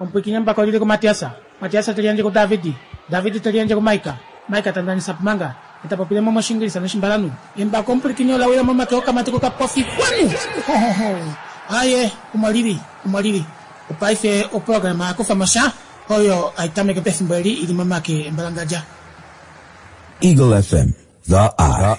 Omupwiikini embako oli li kuMatias. Matias te liyandje kuDavid. David te liyandje kuMaika. Maika ta ndanisa Pumanga. Ye ta popile mo mOshiingilisa nOshimbalanhu. Embako omupwilikini ola wila momake okamati kokapofi. Kwanu! Ho, ho, ho! Aye, omo li li. Omo li li. Opaife oprograma ya kufa mo sha, oyo hai tameke pefimbo eli i li momake embalangadja. Eagle FM, The Eye.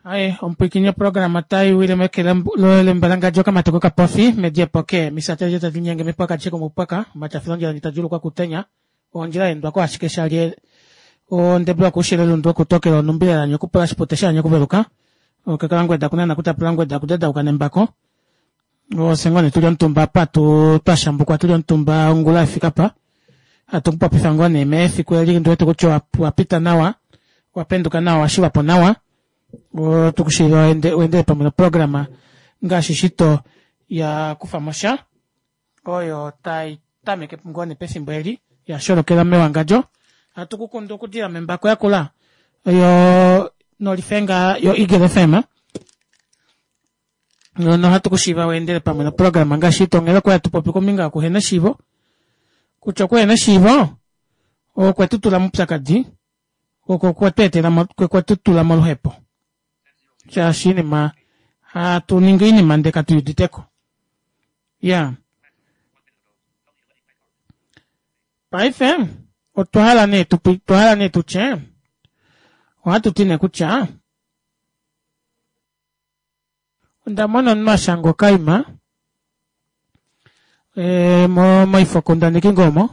Aye, omupwilikini oprograma otai wile meke lembalangadja okamati kokapofi, mediepo ke misati adishe tadi linyenge mepwaka adishe komupwaka, omatyafilondjila ndi ta djuulukwa kutenya, ondjila ya endwa ko ashike sha lye ondebula okuushilo elundu okutokela onumbi lelanya okupula shipute shaanya okuveluka okakalangweda kunana kutapula ngweda kudadauka nembako ofye ngoo nee tuli omutumba apa tu twa shambukwa tuli omutumba ongula efika pa hatu kupopifa ngoo nee mefiku eli ndi wete kutya owa pita nawa wa penduka nawa wa shivapo nawa tukushiiva weendele pamwe noprograma ngaashi shito ya kufa mo sha oyo tai tameke ngoo nee pefimbo eli ya sholokela mewangadjo. Ohatu ku kundu okudila membako yakula yo nolifenga yo Eagle FM. Nohatu ku shiiva weendele pamwe noprograma ngaashi ito onghela okwali hatu popi kombinga yokuhena eshiivo kutya okuhena eshiivo okwe tu tula moupyakadi oko okwe tu etela okwe tu tula moluhepo shaashi iinima hatu ningi oinima ndee katu uditeko ya paife otwa hala nee otwa hala nee tutye ohatu ti nee kutya Onda mona omunhu a shanga okaima e, moifokundaneki ngoo omo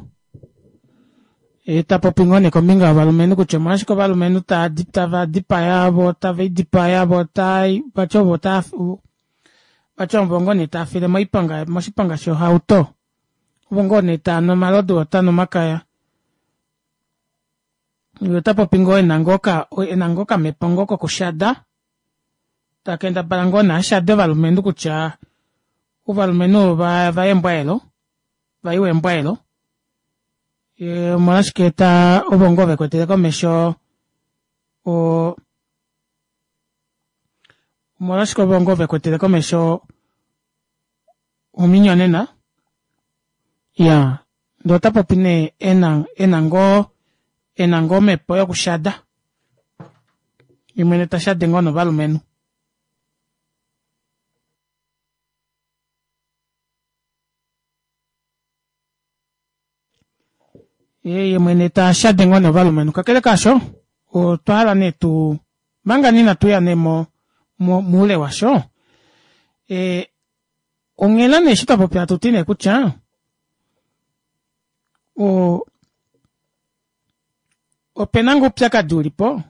e, ta popi ngoo nee kombinga yovalumenhu kutya omolwashike ovalumenhu tava dipaya vo tave idipaya vo vati ovo taa vati ovo ngoo nee tava file moiponga moshiponga shohauto ovo ngoo nee tava nu omalodu vo tava nu omakaya ota popi ngoo ena ngoo okamhepo ngoo kokushada Ta kendabala ngoo nee a shade ovalumenhu kutya ovalumenhu ova va embwaelo, va iwa embwaelo. Omolwashike ta ovo ngoo ve kwetele komesho o omolwashike ovo ngoo ve kwetele komesho ominyonena? Ya, ndee ota popi nee ena ena ngoo ena ngoo omhepo yokushada. Ye mwene ta shade ngoo novalumenhu. Ye mwene ta shade ngoo novalumenhu. Kakele kaasho, otwa hala nee tu manga nee inatu ya nee mo moule washo, e, onghela nee eshi twa popya hatu ti nee kutya o Ope na ngoo oupyakadi u li po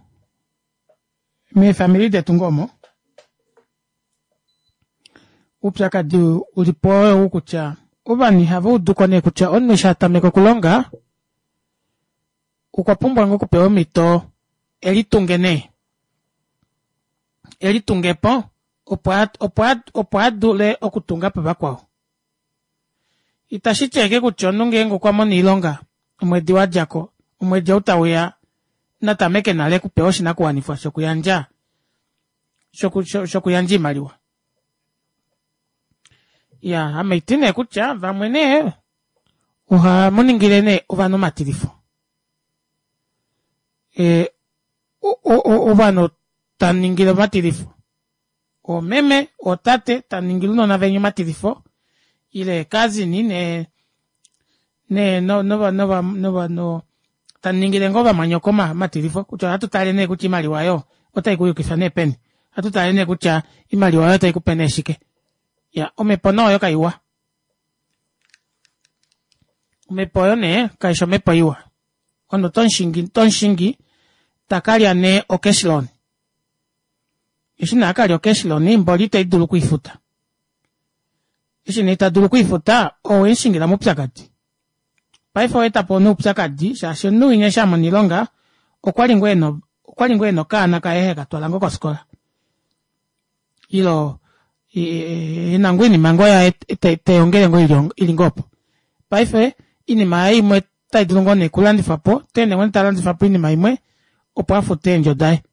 meefamili detu ngoo omo? Oupyakadi u li po oyou kutya ovanhu ihava udu ko nee kutya omunhu eshi a tameka okulonga okwa pumbwa ngoo okupewa omhito e litunge nee, e litunge po opo a dule okutunga po vakwao. Itashi ti ashike kutya omunhu ngeenge okwa mono oilonga omwedi wa dja ko, omwedi ou tau ya na tameke nale okupewa oshinakuwanifwa shokuyandja shokuyandja oimaliwa. Ya, ame iti nee kutya vamwe nee ohamu ningile nee ovanhu omatilifo. E, ovanhu ta ningile omatilifo. Oomeme, ootate tamu ningile ounona veni omatilifo ile eekazini ne ne no nova nova nova no tamu ningile ngoo ovamwanyoko omatilifo kutya ohatu tale nee kutya oimaliwa oyo otai ku yukifa nee peni. Ohatu tale nee kutya oimaliwa oyo otai ku pe nee shike. Ya, omhepo nee oyo kaiwa. Omhepo oyo nee kaishi omhepo iwa. Omunhu oto mushingi ta ka lya nee ocash loan. Eshi nee a ka lya ocash loan mboli ita dulu okwiifuta. Eshi nee ita dulu okwiifuta owe mu shingila moupyakadi. Paife owa eta po nee oupyakadi shaashi omunhu winya eshi a mona oilonga okwa li ngoo ena okwa li ngoo ena okaana kaye heka twala ngoo kofikola. Ile ena ngoo oinima ngoo yaye teyongele ngoo ili ngoo opo. Paife oinima yaye imwe otai dulu ngoo nee okulandifwa po, ota ende ngoo nee ta landifa po oinima imwe opo a fute eendjo daye.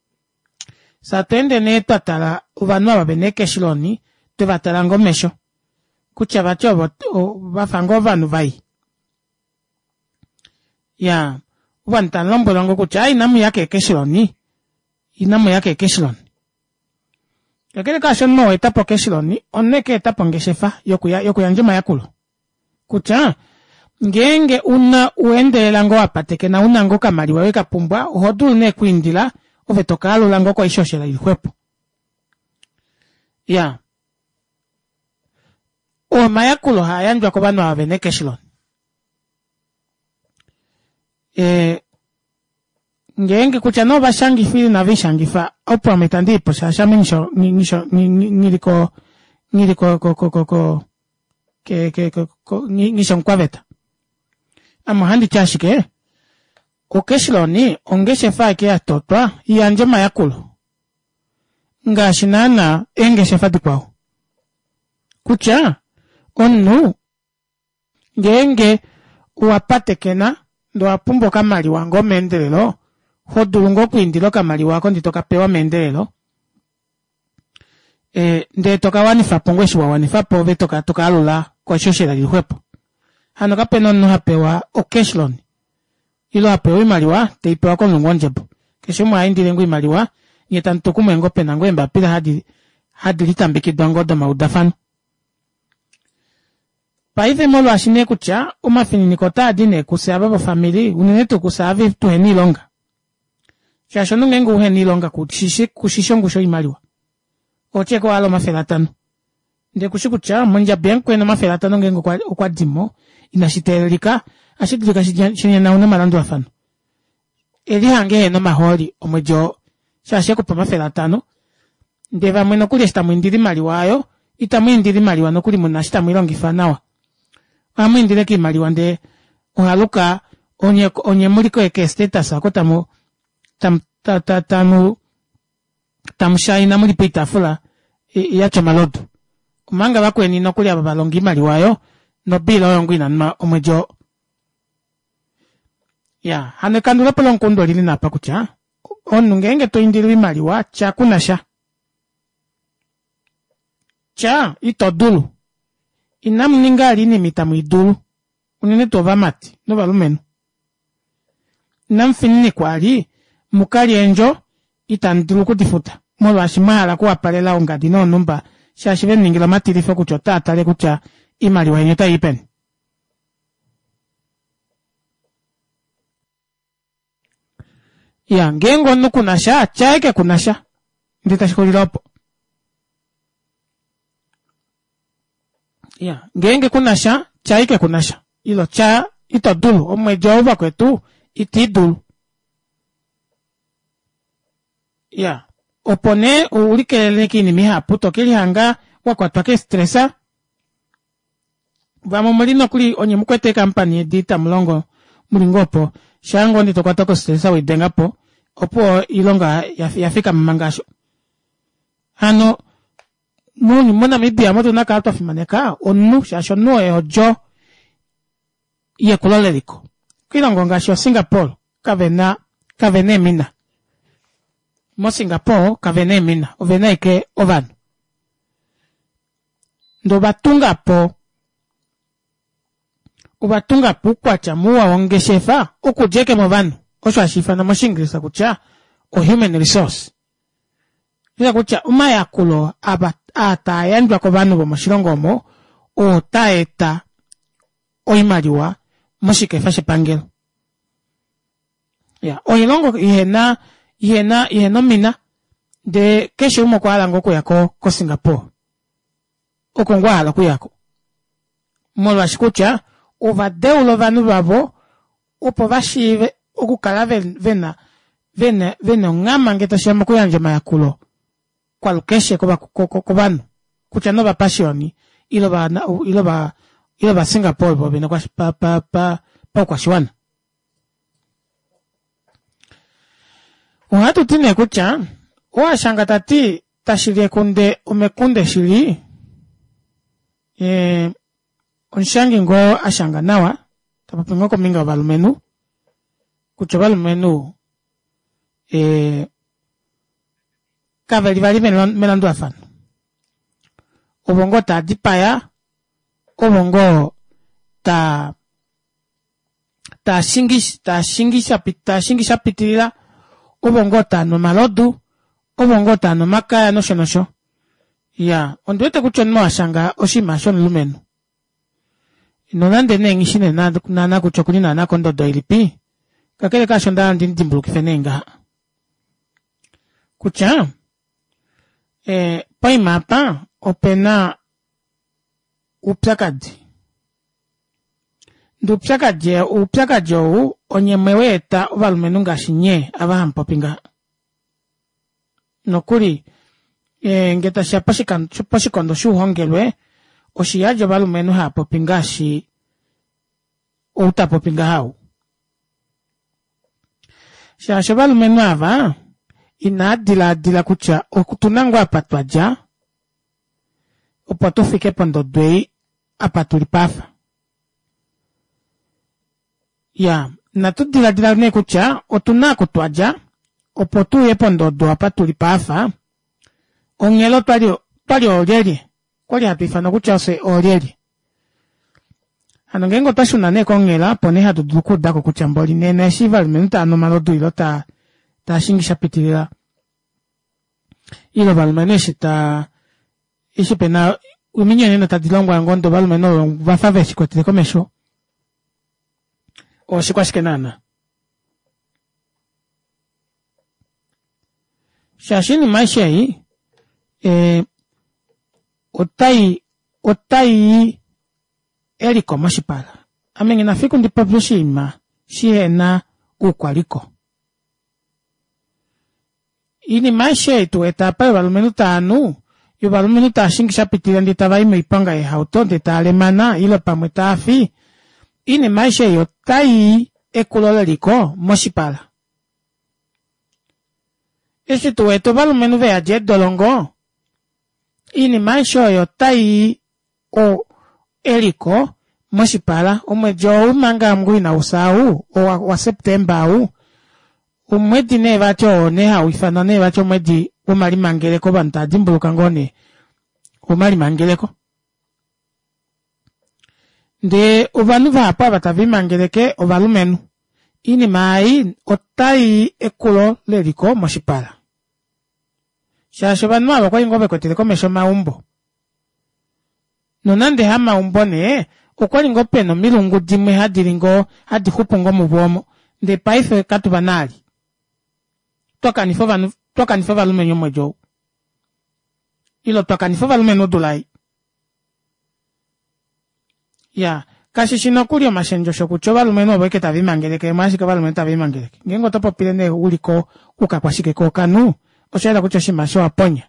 Fye atu ende nee twa tala ovanhu ava vena eekeshiloni twe va tala ngoo omesho kutya vati ovo vafa ngoo ovanhu vai. Ya ovanhu tamu lombwelwa ngoo kutya inamu ya keekeshiloni, inamu ya keekeshiloni. Kakele kaasho omunhu oo eta po okeshiloni, omunhu eke eta po ongeshefa yokuyandja omayakulo. Kutya ngeenge una uendelela ngoo wapatekena una ngoo okamaliwa wekapumbwa oho dulu nee okwiindila ove tokaalula ngoo koishoshela ili xwepo. Iyaa oo omayakulo haa yandjwa kovanhu ava vena ecash loan. Ee ngeenge kutya nee ovashangifa ile inave lishangifa opo ame itandi ipo shaashi ame nghili ko nghili ko ko ko ko nghi shi omukwaveta. Ame ohandi ti ashike ocash loan ongeshefa ashike yatotwa iyandje omayakulo ngaashi naana eengeshefa dikwao. Kutya omunhu ngeenge owa patekena ndee owa pumbwa okamaliwa ngoo meendelelo ho dulu ngoo okwiindila okamaliwa oko ndee tokapewa meendelelo e, ndee tokawanifapo ngoo eshi wawanifapo ove tokaalula koishoshela ili xwepo. Hano kapena omunhu hapewa ocash loan ile hapewa oimaliwa teipewa komulungu wondjebo. Keshe umwe ohaindile ngoo oimaliwa nyee tamutu kumwe ngoo pena ngoo eembapila hadi hadi litambekidwa ngoo domaudafano. Paife molwaashi nee kutya omafininiko otaadi nee kufye ava vofamili unene tuu kufye ava tuhena oilonga shaashi omunhu ngeenge uhena oilonga kushishi kushishi ongushu yoimaliwa oti ashike owahala 500 ndee kushi kutya mondjabi yamukweni 500 ngeenge okwa dimo inashi teelelika ohashi dulika shinyenaune omalandulafano elihange ehena omahooli omwedi oo shaashi ekupa 500 ndee vamwe nokuli eshi tamu indile oimaliwa aayo itamu indile oimaliwa nokuli muna eshi tamu ilongifa nawa ohamu indile ashike oimaliwa ndee ohaluka onye onye muli keestatus oko tamu tamu tamu tamu shaina muli poitaafula yatya omalodu omanga vakweni nokuli ava valonga oimaliwa oyo nobiila oyo ngoo inanwa omwedi oo. Ya hano ekandulepo lomukundu olili nee apa kutya omunhu ngeenge to indile oimaliwa tya kuna sha. Tya ito dulu. Inamu ninga vali oinima itamu i dulu unene tuu ovamati novalumenhu. Inamu fininikwa vali mu ka lye eendjo itamu dulu oku di futa molwaashi mwa hala okuwapalela ongadi noonhumba shaashi ve mu ningila omatilifo kutya otaa tale kutya oimaliwa yeni otai i peni. Ya ngeenge omunhu kuna sha tya ashike kuna sha ndee tashi xulile opo. Ya ngeenge kuna sha tya ashike kuna sha ilo tya ito dulu omwedi ou vakwetu iti dulu. Ya opo nee ulikelele kiinima ihapu to kelihanga wa kwatwa kestresa vamwe omuli nokuli onye mukwete eekampani edi tamulongo muli ngoo opo shaa ngoo ndee tokwatwa kostresa weidengapo opuwo oilonga yafikama manga aasho. Hano moNamibia omo otuna okukala twafimaneka omunhu shaashi omunhu oye odjo yekulo leliko. Koilongo ngaashi oSingapore kavena kavena eemina. MoSingapore kavena eemina ovena ashike ovanhu. Ndee ovatunga po ovatunga po oukwatya muwa wongeshefa okudja ashike movanhu osho hashi ifanwa moshiingilisa kutya ohuman resource. Ila kutya omayakulo ava aa taa yandjwa kovanhu vomoshilongo omo oo taa eta oimaliwa moshikefa shepangelo. Ya oilongo ihena ihena ihena omina ndee keshe umwe okwa hala ngoo okuya ko koSingapore oko ngoo ahala okuyako molwaashi kutya ova deula ovanhu vavo opo va shiive okukala vena vena vena onghama ngee tashiya mokuyandja omayakulo kwalukeshe kovanhu kutya nee ovapashioni ile ova ile ovaSingapore vovene paukwashiwana. Ohatu ti nee kutya oo a shanga ta ti tashi li ekunde omekunde shili, ee omushangi ngoo a shanga nawa ta popi ngoo kombinga yovalumenhu kutya ovalumenhu ee kave li vali melandulafano ovo ngoo taa dipaya ovo ngoo taa. Taashingi shapitilila, ovo ngoo taanu omalodu, ovo ngoo taanu omakaya nosho nosho. Iyaa, ondi wete kutya omunhu ashanga oshinima shomulumenhu. Nonande nee nghishi nee naana kutya okuli naana kondodo ilipi, kakele kaasho ondahala ndimudimbulukife nee ngaha kutya poima apa opena oupyakadi. Ndee oupyakadi oupyakadi ou onye mweweeta ovalumenhu ngaashi nyee ava hamupopi ngaha. Nokuli ngee tashiya poshikondo shouhongelwe oshiyadi ovalumenhu haapopi ngaashi ou tapopi ngaha ou. Shaashi ovalumenhu ava inaa dilaadila kutya otuna ngoo apa twadja opo tufike pondodo ei apa tuli paafa. Iyaa, natu diladila nee kutya otuna oku twadja opo tuuye pondodo apa tuli paafa, onghela otwali otwali oolyelye? Okwali hatu ifanwa kutya ofye oolyelye? Hano ngeenge otwa shuna nee konghela opo nee hatu dulu okuudako kutya mboli nena eshi ovalumenhu tava nu omalodu ile taa taa shingi sha pitilila ile ovalumenhu eshi taa eshi pena ominyonena tadi longwa ngoo ndee ovalumenhu ovo vafa veshi kwetele komesho oshikwashike naana? Shaashi oinima aishe ei eh, otai otai i eliko moshipala. Ame nghina fiku ndi popye oshinima shihena oukwaliko. Iinima aishe ei tu wete apa yovalumenhu tava nu, yovalumenhu tava shingi sha pitilila ndee tava i moiponga yeehauto ndee tava lemana ile pamwe tava fi, iinima aishe ei otai i ekulo leliko moshipala. Eshi tu wete ovalumenhu ve yadi eedolongo, iinima aishe oyo otai i o eliko moshipala. Omwedi ou manga ngoo inau fya ou, waSeptemba ou, omwedi nee vati oo nee hau ifanwa nee vati omwedi womalimangeleko, ovanhu tava dimbuluka ngoo nee omalimangeleko. Ndee ovanhu vahapu ava tave limangeleke ovalumenhu. Oinima ei otai i ekulo leliko moshipala. Shaashi ovanhu ava okwali ngoo vekwetele komesho omaumbo. Nonande hamaumbo nee, okwali ngoo pena omilungu dimwe hadi li ngoo, hadi xupu ngoo muvo omo. Ndee paife katu va na ali. Twa kanifa ovanhu, twa kanifa ovalumenhu omwedi ou. Ile twa kanifa ovalumenhu odula ei. Ya, kashi shi nokuli omashendjo osho kutya ovalumenhu ovo ashike tave limangeleke, omolwashike ovalumenhu tave limangeleke? Ngeenge oto popile nee u li ko kukakwashike kookanhu, osha yela kutya oshinima osho owa ponya.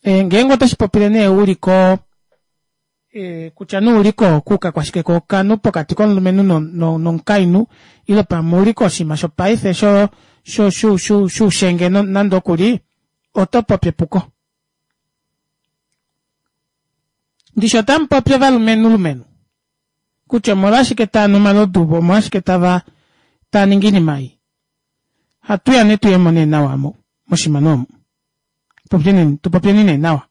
Eh, ngeenge oto shi popile nee u li ko eh, kutya nee u li ko kukakwashike kookanhu pokati komulumenhu nomukainhu ile pamwe u li koshinima shopaife sho sho shu shu shuushenge nande oku li oto popi epuko. Ndishi otamu popi ovalumenhu lumenhu kutya omolwashike tava nu omalodu vo omolwashike tava tava ningi oinima ei. Hatu ya nee tuyemo nee nawa mo moshimano omu. Popyeni tu popyeni nee nawa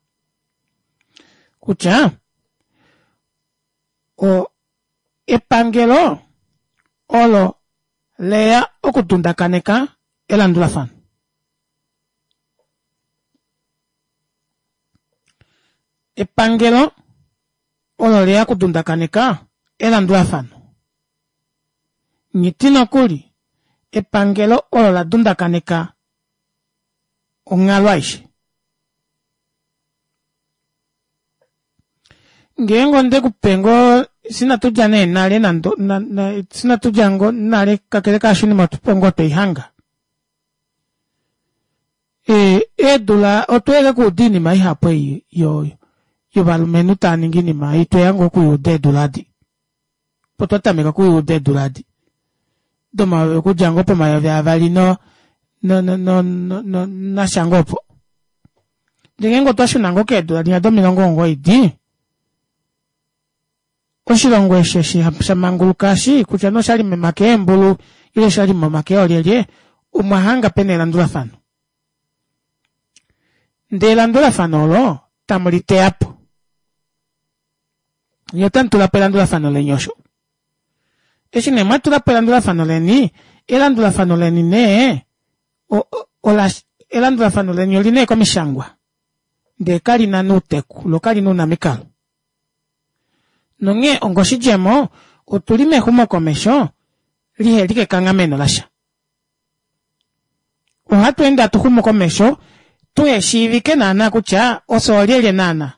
kutya o epangelo olo leya okudundakaneka elandulafano. Epangelo olo leya okudundakaneka elandulafano. Nghiti nokuli epangelo olo la dundakaneka onghalo aishe. Ngeenge onde ku pe ngoo sinatu dja nee nale nando sinatu dja ngoo nale kakele kaasho oinima opo ngoo tweihanga. Eedula otweya okuuda oinima ihapu ei yovalumenhu tava ningi oinima ei tweya ngoo okuiuda eedula adi. Opo twa tameka okuiuda eedula adi domayovi okudja ngoo pomayovi avali no no no no no nasha ngoo opo. Ndele ngeenge otwa shuna ngoo keedula dinya domilongo omugoyi di, oshilongo eshi eshi sha manguluka eshi kutya nee oshali momake eembulu ile oshali momake oolyelye. Omwa hanga pena elandulafano. Ndee elandulafano olo tamu li teya po. Nye otamu tula po elandulafano leni osho. Eshi nee mwa tula po elandulafano leni, elandulafano leni nee ola elandulafano leni oli nee komishangwa. Ndee kali na nuuteku, lo kali na uunamikalo. Nonghee ongoshidjemo, otu li mexumokomesho lihe li kekanghameno lasha. Ohatu ende hatu xumu komesho tuhe shiivike naanaa kutya ofye oolyelye naanaa.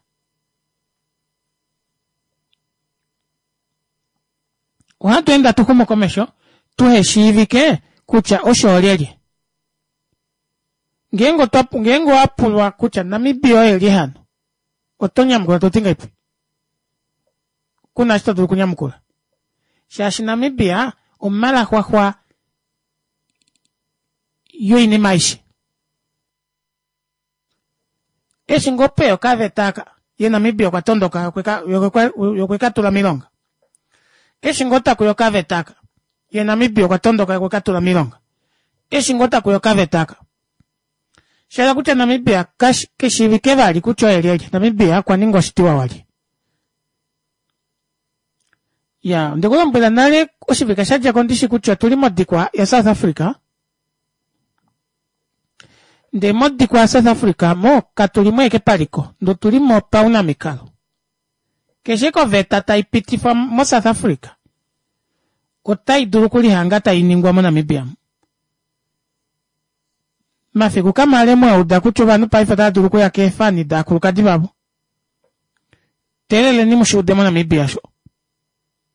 Ohatu ende hatu xumu komesho tuhe shiivike kutya osho oolyelye. Ngeenge otwa ngeenge owa pulwa kutya Namibia oye lye hano, oto nyamukula to ti ngahelipi? Ku na eshi to dulu okunyamukula. Shaashi Namibia omalaxwaxwa yoinima aishe. Eshi ngoo peya okaveta aka, ye Namibia okwa tondoka ye okwe ka tula miilonga. Eshi ngoo takuya okaveta aka, ye Namibia okwa tondoka ye okwe ka tula miilonga. Eshi ngoo takuya okaveta aka. Sha hala kutya Namibia ke shiivike vali kutya oye lyelye. Namibia okwa ninga oshitiwa walye. Ya, onde ku lombwela nale oshivike sha dja ko ndishi kutya otuli modikwa yaSouth Africa. Ndee modikwa yaSouth Africa mo katu li mo ashike paliko, ndee otu li mo paunamikalo. Keshe koveta tai pitifwa moSouth Africa otai dulu okulihanga tai ningwa moNamibia. Mafiku kamale mwa uda kutya ovanhu paife otava dulu okuya keefani daakulukadi vavo. Teeleleni mu shi ude moNamibia sho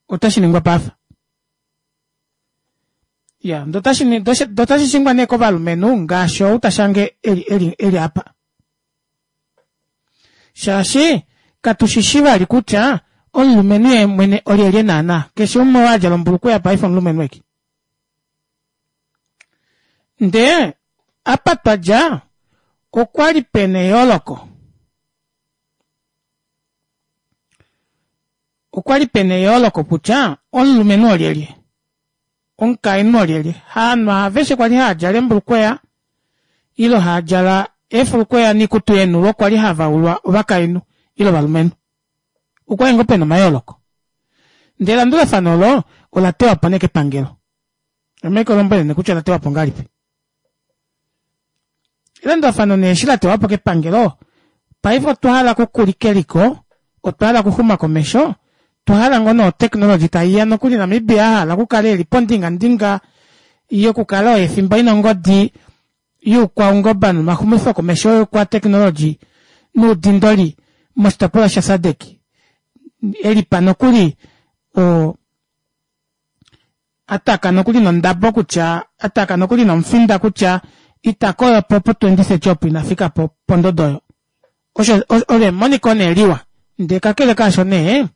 otashi ningwa paafa. Ya, ndo tashi ndo tashi shingwa nee kovalumenhu ngaashi ou ta shange eli eli eli apa. Shaashi katu shi shi vali kutya omulumenhu ye mwene olyelye naanaa. Keshe umwe oo a djala ombulukweya paife omulumenhu eke. Ndee apa twa dja okwa li pena eyooloko. Okwa li pena eyooloko kutya omulumenhu olyelye, omukainhu olyelye. Haanhu aveshe kwa li haa djala eembulukweya ile haa djala eefulukweya niikutu yeenhulo kwa li hava ulwa ovakainhu ile ovalumenhu. Okwa li ngoo pena omayooloko. Ndele elandulafano olo ola tewa po nee kepangelo. Ame lombwele nee kutya ola tewa po ngahelipi. Elandulafano nee eshi la tewa po kepangelo, paife otwa hala okukulika eliko, otwa hala okuxuma komesho, otwa hala ngoo nee oteknologi tai ya nokuli Namibia a hala okukala e li pondingandinga yokukala oye fimba ina ongodi yuukwaungoba nomaxumifokomesho youkwateknologi nuudindoli moshitopolwa shaSADC e li pa nokuli o a taka nokuli nondabo kutya a taka nokuli nomufinda kutya ita koyo po po 2030 opo ina fika po pondodo oyo. Osho olo emoniko nee liwa. Ndee kakele kaasho nee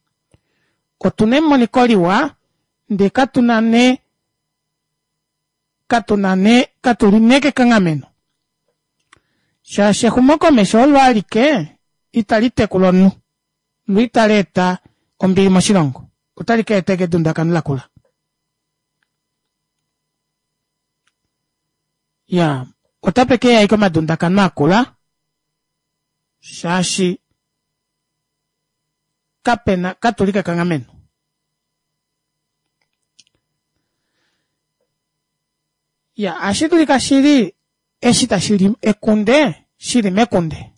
otu na emoniko liwa ndee katu na nee katu na nee katu li nee kekanghameno shaashi exumokomesho olo alike itali tekula omunhu lo itali eta ombili moshilongo otali ka eta edundakano lakula ya otape ke ya ike omadundakano akula shaashi kapena katu li kekanghameno Ya, ohashi dulika shi li eshi tashi li ekunde, shi li mekunde.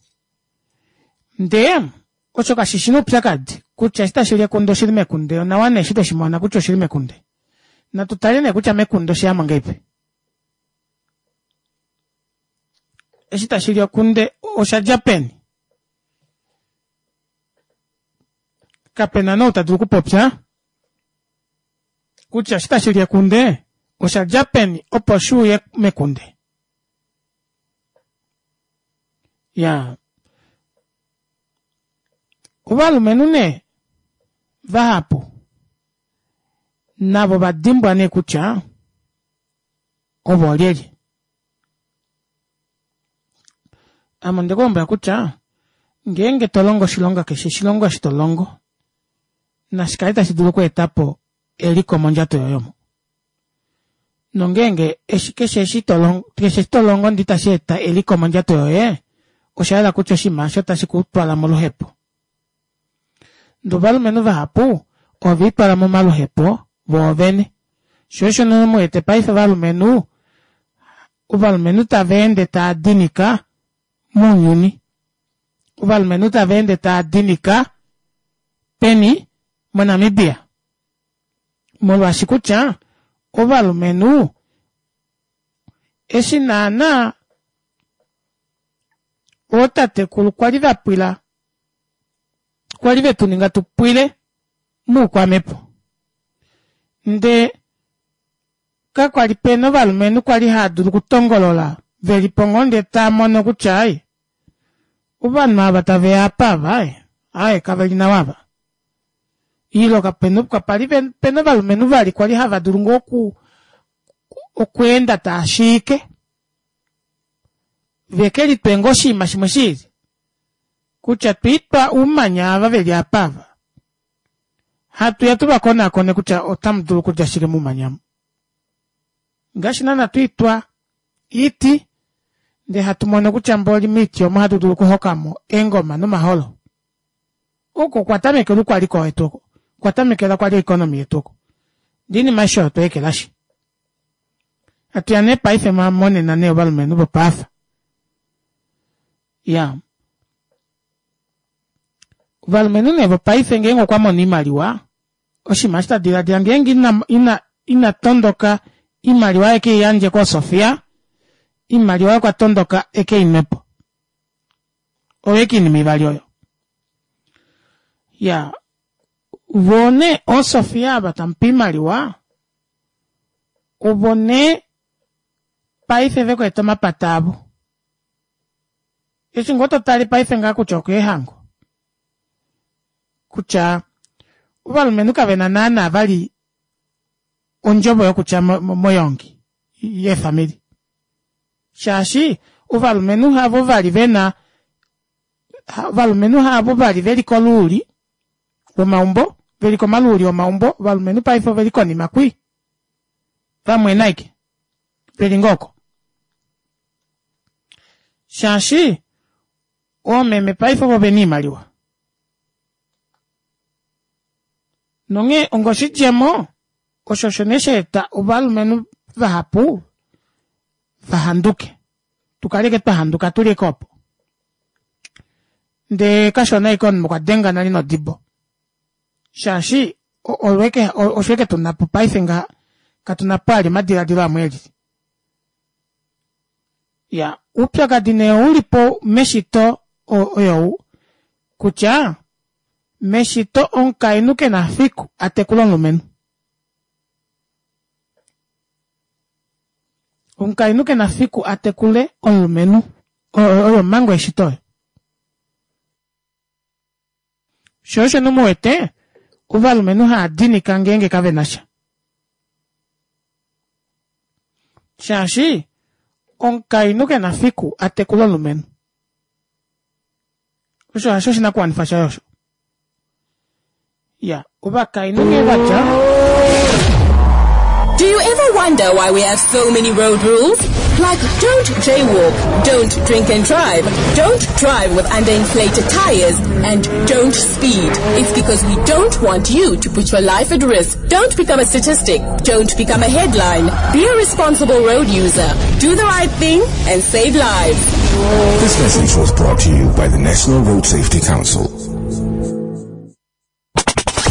Ndee, osho kashi shi oupyakadi, kutya eshi tashi li ekunde oshi li mekunde, onawa nee eshi tweshi mona kutya oshi li mekunde. Natu tale nee kutya mekunde oshe ya mo ngahelipi. Eshi tashi li ekunde osha dja peni? Kape na nou ta dulu okupopya kutya eshi tashi li ekunde osha dja peni opo shi uye mekunde. Ya ovalumenhu nee vahapu navo va dimbwa nee kutya ovo olyelye. Ame onde ku lombwela kutya ngeenge to longo oshilonga keshe oshilongo eshi to longo nashi kale tashi dulu okweeta po eliko mondjato yoye omo. Nongeenge eshi keshe eshi to longo, keshe eshi to longo ndee itashi eta eliko mondjato yoye, osha yela kutya oshinima osho otashi ku twala moluhepo. Ndee ovalumenhu vahapu ove litwala momaluhepo voovene. Sho osho nee mu wete paife ovalumenhu, ovalumenhu tava ende tava dinika mounyuni. Ovalumenhu tava ende tava dinika peni? MoNamibia. Molwaashi kutya ovalumenhu eshi naana ootatekulu kwali va pwila kwali ve tu ninga tu pwile muukwamhepo nde kakwa li pena ovalumenhu kwali haa dulu okutongolola ve li po ngoo ndee taa mono kutya ai ovanhu ava tave ya apa ava ai ai kave li nawa ava ile kapena kapa li pena ovalumenhu vali kwali hava dulu ngoo oku okweenda taa shiike ve ke litwe ngoo oshinima shimwe shiili kutya twiitwa uumanya ava veli apa ava hatu ya tu va konakone kutya otamu dulu okulya shike muumanya mu ngaashi naana twiitwa iiti ndee hatu mono kutya mboli miiti omo hatu dulu okuhokamo eengoma nomaholo oko okwa tamekela ukwaliko wetu oko okwa tamekela kwali oeconomy yetu oko ndee iinima aishe oyo otwa ekelashi hatu ya nee paife monena nee ovalumenhu vopaafa ya ovalumenhu nee vopaife ngeenge okwa mono iimaliwa oshinima eshi ta diladila ngeenge ina, ina, ina tondoka iimaliwa eke i yandje koosofia iimaliwa okwa tondoka eke i nwepo oyo eke iinima ivali oyo ya voo nee oosofia ava tamupe iimaliwa ovo nee paife vekweeta omapata avo Eshi ngoo to tale paife ngaa kutya okeehango kutya ovalumenhu kave na naana vali ondjovo yokutya moyongi yeefamili shaashi ovalumenhu havo vali vena ovalumenhu havo vali veli koluuli womaumbo veli komaluuli omaumbo ovalumenhu paife oveli konima kwi vamwena aike veli ngoo oko shaashi oomeme paife ovo vena iimaliwa nonghee ongoshidjemo osho osho nee sha eta ovalumenhu vahapu vahanduke tukaleke twa handuka tuli eke opo ndee kashona eke omunhu okwa denga nale nodibo shaashi olweke osho eke tuna po paife ngaha katuna po ali omadiladilo amwe elili ya uupyakadi nee ouli po meshito oyou kutya meshito omukainhu ke na fiku a tekule omulumenhu omukainhu ke na fiku a tekule omulumenhu oyo omhango yeshito oyo Sho osho nomu wete ovalumenhu haa dinika ngeenge kave na sha. Shaashi omukainhu ke na fiku a tekule omulumenhu. Osho hasho oshinakuwanifwa shaye osho. Ya, ovakainhu nghee va tya. Do you ever wonder why we have so many road rules? Like don't jaywalk, don't drink and drive, don't drive with underinflated tires, and don't speed. It's because we don't want you to put your life at risk. Don't become a statistic. Don't become a headline. Be a responsible road user. Do the right thing and save lives. This message was brought to you by the National Road Safety Council.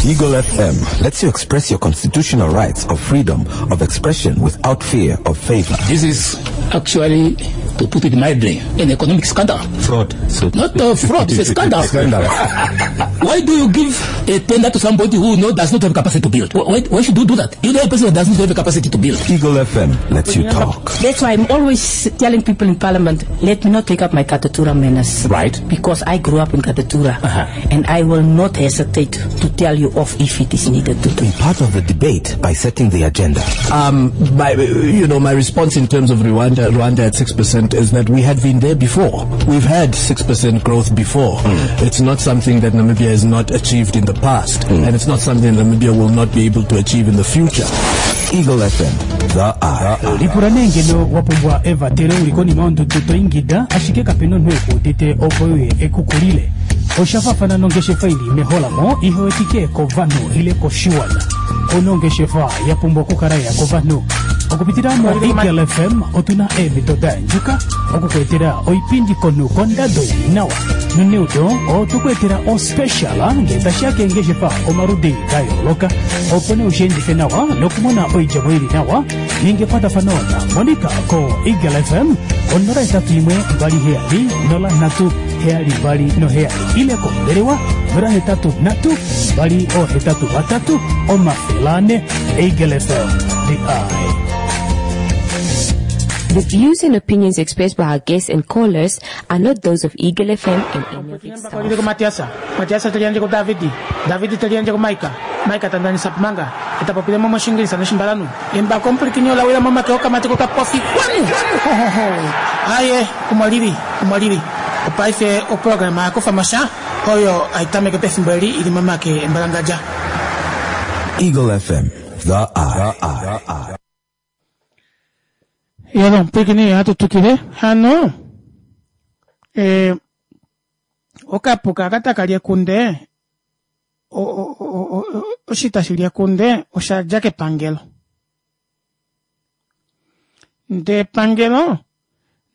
Eagle FM lets you express your constitutional rights of freedom of expression without fear of favor. This is actually, to put it mildly, an economic scandal. Fraud. So Not a fraud, it's a scandal. Scandal. Why do you give a tender to somebody who does not have capacity to build? Why should you do that? You know a person who does not have the capacity to build. Eagle FM lets you talk. That's why I'm always telling people in Parliament, let me not take up my Katutura manners. Right. Because I grew up in Katutura. And I will not hesitate to tell you off if it is needed to do. Be part of the debate by setting the agenda. My response in terms of Rwanda at 6% is that we had been there before. We've had 6% growth before. It's not something that Namibia has not achieved in the past, and it's not something Namibia will not be able to achieve in the future. Eagle FM, the eye. Lipula nee ngeno wa pumbwa evatelo uli konima yondudu to ingida ashike kape na omunhu eku udite opo uye ekukulile. Osha faafana nongeshefa ili meholamo ihe wetike kovanhu ile koshiwana. Ouna ongeshefa ya pumbwa okukala ya kovanhu. Okupitila mo Eagle FM otuna eemhito da yandjuka okukuetela oipindi konhu kondado ili nawa. Noneudo otwe ku etela ospecial ngee tashi ya keengeshefa omaludi da yooloka opo nee ushiendife nawa nokumona oidjemo ili nawa. Ninga ekwatafano na Monica ko Eagle FM ko 081 27 03 727 ile kombelewa 083 283 400. Eagle FM, the eye. The views and opinions expressed by our guests and callers are not those of Eagle FM and any of its staff. Lili kuMatiasa, Matiasa teli yandje kuDavidi, Davidi teli yandje kuMaika, Maika ta ndanisa Pumanga, eta popile mo moshingilisa noshimbalanu. Embako omupulikini ola wila momake okamati kokapofi. Wanu! Ho, ho, ho. Aye, omo lili, omo lili. Opaife oprograma ya kufa mo sha oyo hai tameke pefimbo eli i li momake embalangadja. Eagle FM, the eye. Yelo, omupwilikini ohatu twikile hano e, okapuka aka taka li ekunde oshi tashi li ekunde osha dja kepangelo ndee epangelo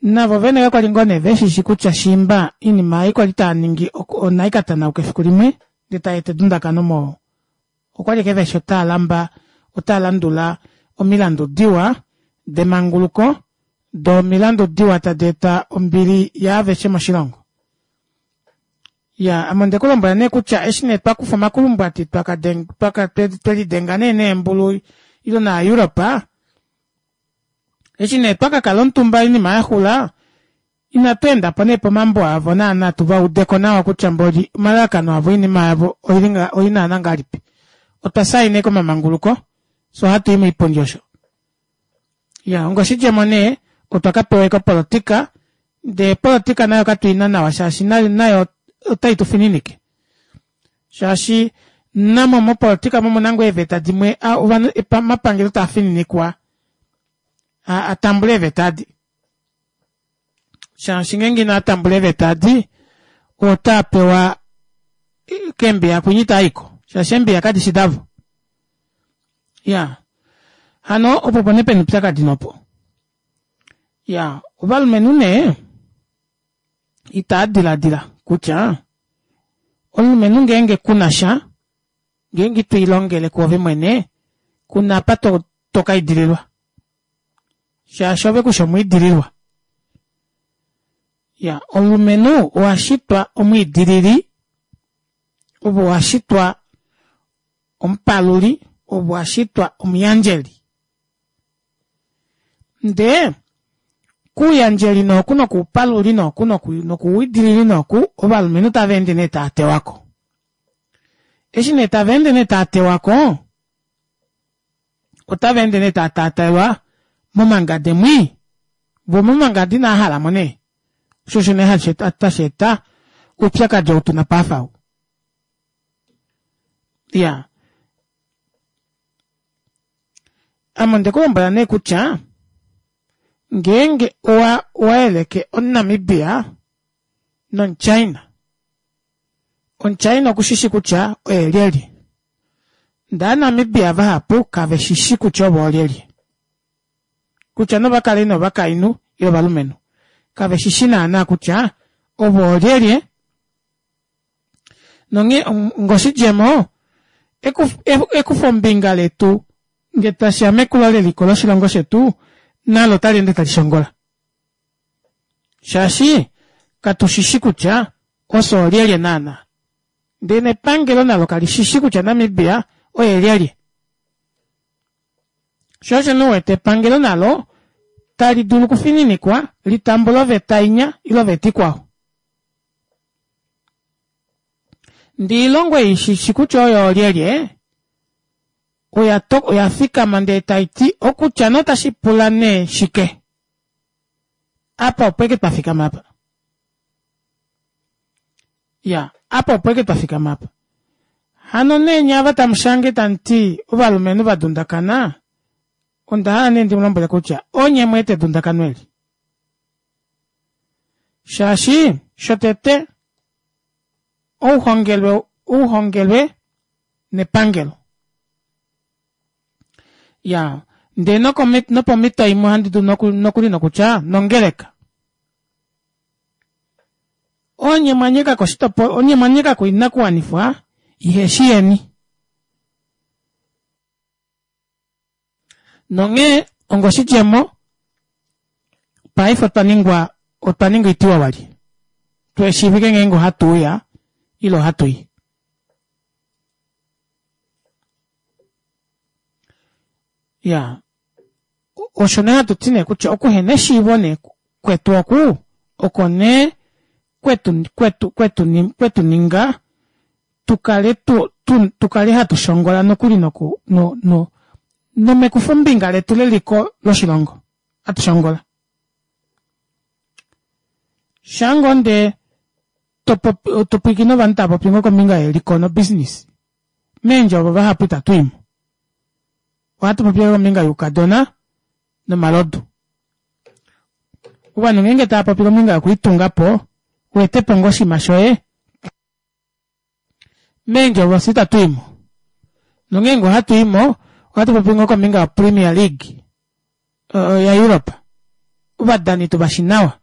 navo vene kakwali ngoo nee veshishi kutya shiimba oinima ei kwali taa ningi onai ka tanauka efiku limwe ndee tai eta edundakano mo okwali ashike veshi otaa lamba otaa landula omilandu diwa demanguluko doo omilandu diwa tadi eta ombili yaaveshe moshilongo. Ya ame onde ku lombwela nee kutya eshi nee twa kufa omakulumbwati twaka twaka twelidenga nee neembulu ile naaEuropa eshi nee twa ka kala omutumba oinima ya xula inatu enda po nee pomambo avo naana tu va udeko nawa kutya mboli omalalakano avo oinima yavo oili naana ngahelipi. Otwa saina ashike omamanguluko fye ohatu i moipundi osho. Ya ongoshidjemo nee otwa ka pewa ashike opolotika ndee opolotika nayo katu ina nawa shaashi nayo otai tu fininike shaashi namo mopolotika mo omuna ngoo eeveta dimwe ovanhu omapangelo taa fininikwa a tambule eeveta adi shaashi ngeenge inaa tambula eeveta adi otaa pewa keembiya kwinyi taaiko shaashi eembiya kadishi davo ya hano opo opo nee pena oupyakadi nopo ya ovalumenhu nee itaa diladila kutya omulumenhu ngeenge kuna sha ngeenge ito ilongele kuove mwene kuna apa to, to ka idililwa shaashi ove kushi omwiidililwa ya omulumenhu owa shitwa omwiidilili ove owa shitwa omupaluli ove owa shitwa omuyandjeli Ndee kuuyandjeli nooku nokuupaluli nooku nokuuidilili nooku ovalumenhu tava ende nee taa tewa ko. Eshi nee tava ende nee taa tewa ko, otava ende nee taa taataelwa momangade mwii, vo momangade inaa hala mo nee. Osho osho nee hashi tashi eta oupyakadi ou tuna paife ou. Iya. Ame onde ku lombwela nee kutya ngeenge owa owa yeleke omuNamibia nomuChina, omuChina oku shi shi kutya oye lyelye, ndee Aanamibia vahapu kave shi shi kutya ovo oolyelye. Kutya nova kale nee ovakainhu ile ovalumenhu, kave shi shi naanaa kutya ovo oolyelye. Nonghee ngoshidjemo, ekufombinga letu nge tashi ya mekulo leliko loshilongo shetu nalo otali ende tali shongola. Shaashi katu shi shi kutya ofye oolyelye naanaa. Ndee nepangelo nalo kali shi shi kutya Namibia oye lyelye. Sho osho nee u wete epangelo nalo tali dulu okufininikwa li tambule oveta inya ile oveta ikwao. Ndee oilongo ei shi shi kutya oyo oolyelye, oya to, oya fikama ndee tai ti okutya nee otashi pula nee shike. Apa opo eke twa fikama apa. Ya, apa opo eke twa fikama apa. Hano nee nye ava tamu shange tamu ti ovalumenhu va dundakana, Onda hala nee ndi mu lombwele kutya onye mu eta edundakano eli. Shaashi shotete ouhongelwe ouhongelwe nepangelo. Ya, ndee nopomhito imwe ohandi dulu nokuli nokutya nongeleka. Onye mwa nyeka ko oshitopolwa, onye mwa nyeka ko oinakuwanifwa iheshi yeni. Nonghee ongoshidjemo, paife otwa ningwa, otwa ninga oitiwawalye. Tuhe shiivike ngeenge ohatu uya ile ohatu i. Ya, osho nee hatu ti nee kutya okuhena eshiivo nee kwetu oku oko nee kwetu kwetu kwetu kwetu ninga tu kale tu, tu, tu kale hatu shongola nokuli noku no, no, nomekufombinga letu leliko loshilongo hatu shongola. Shango nde to popi, to pwilikine ovanhu tava popi ngo kombinga yeliko nobusiness meendjovo vahapu itatu i mo. Ohatu popi kombinga youkadona nomalodu. Ovanhu ngeenge tava popi kombinga yokulitunga po, u ete po ngoo oshinima shoye, meendjovo fye itatu i mo. Nongeenge ohatu i mo, ohatu popi ngoo kombinga yoPremier League yaEurope. Ovadani tu va shi nawa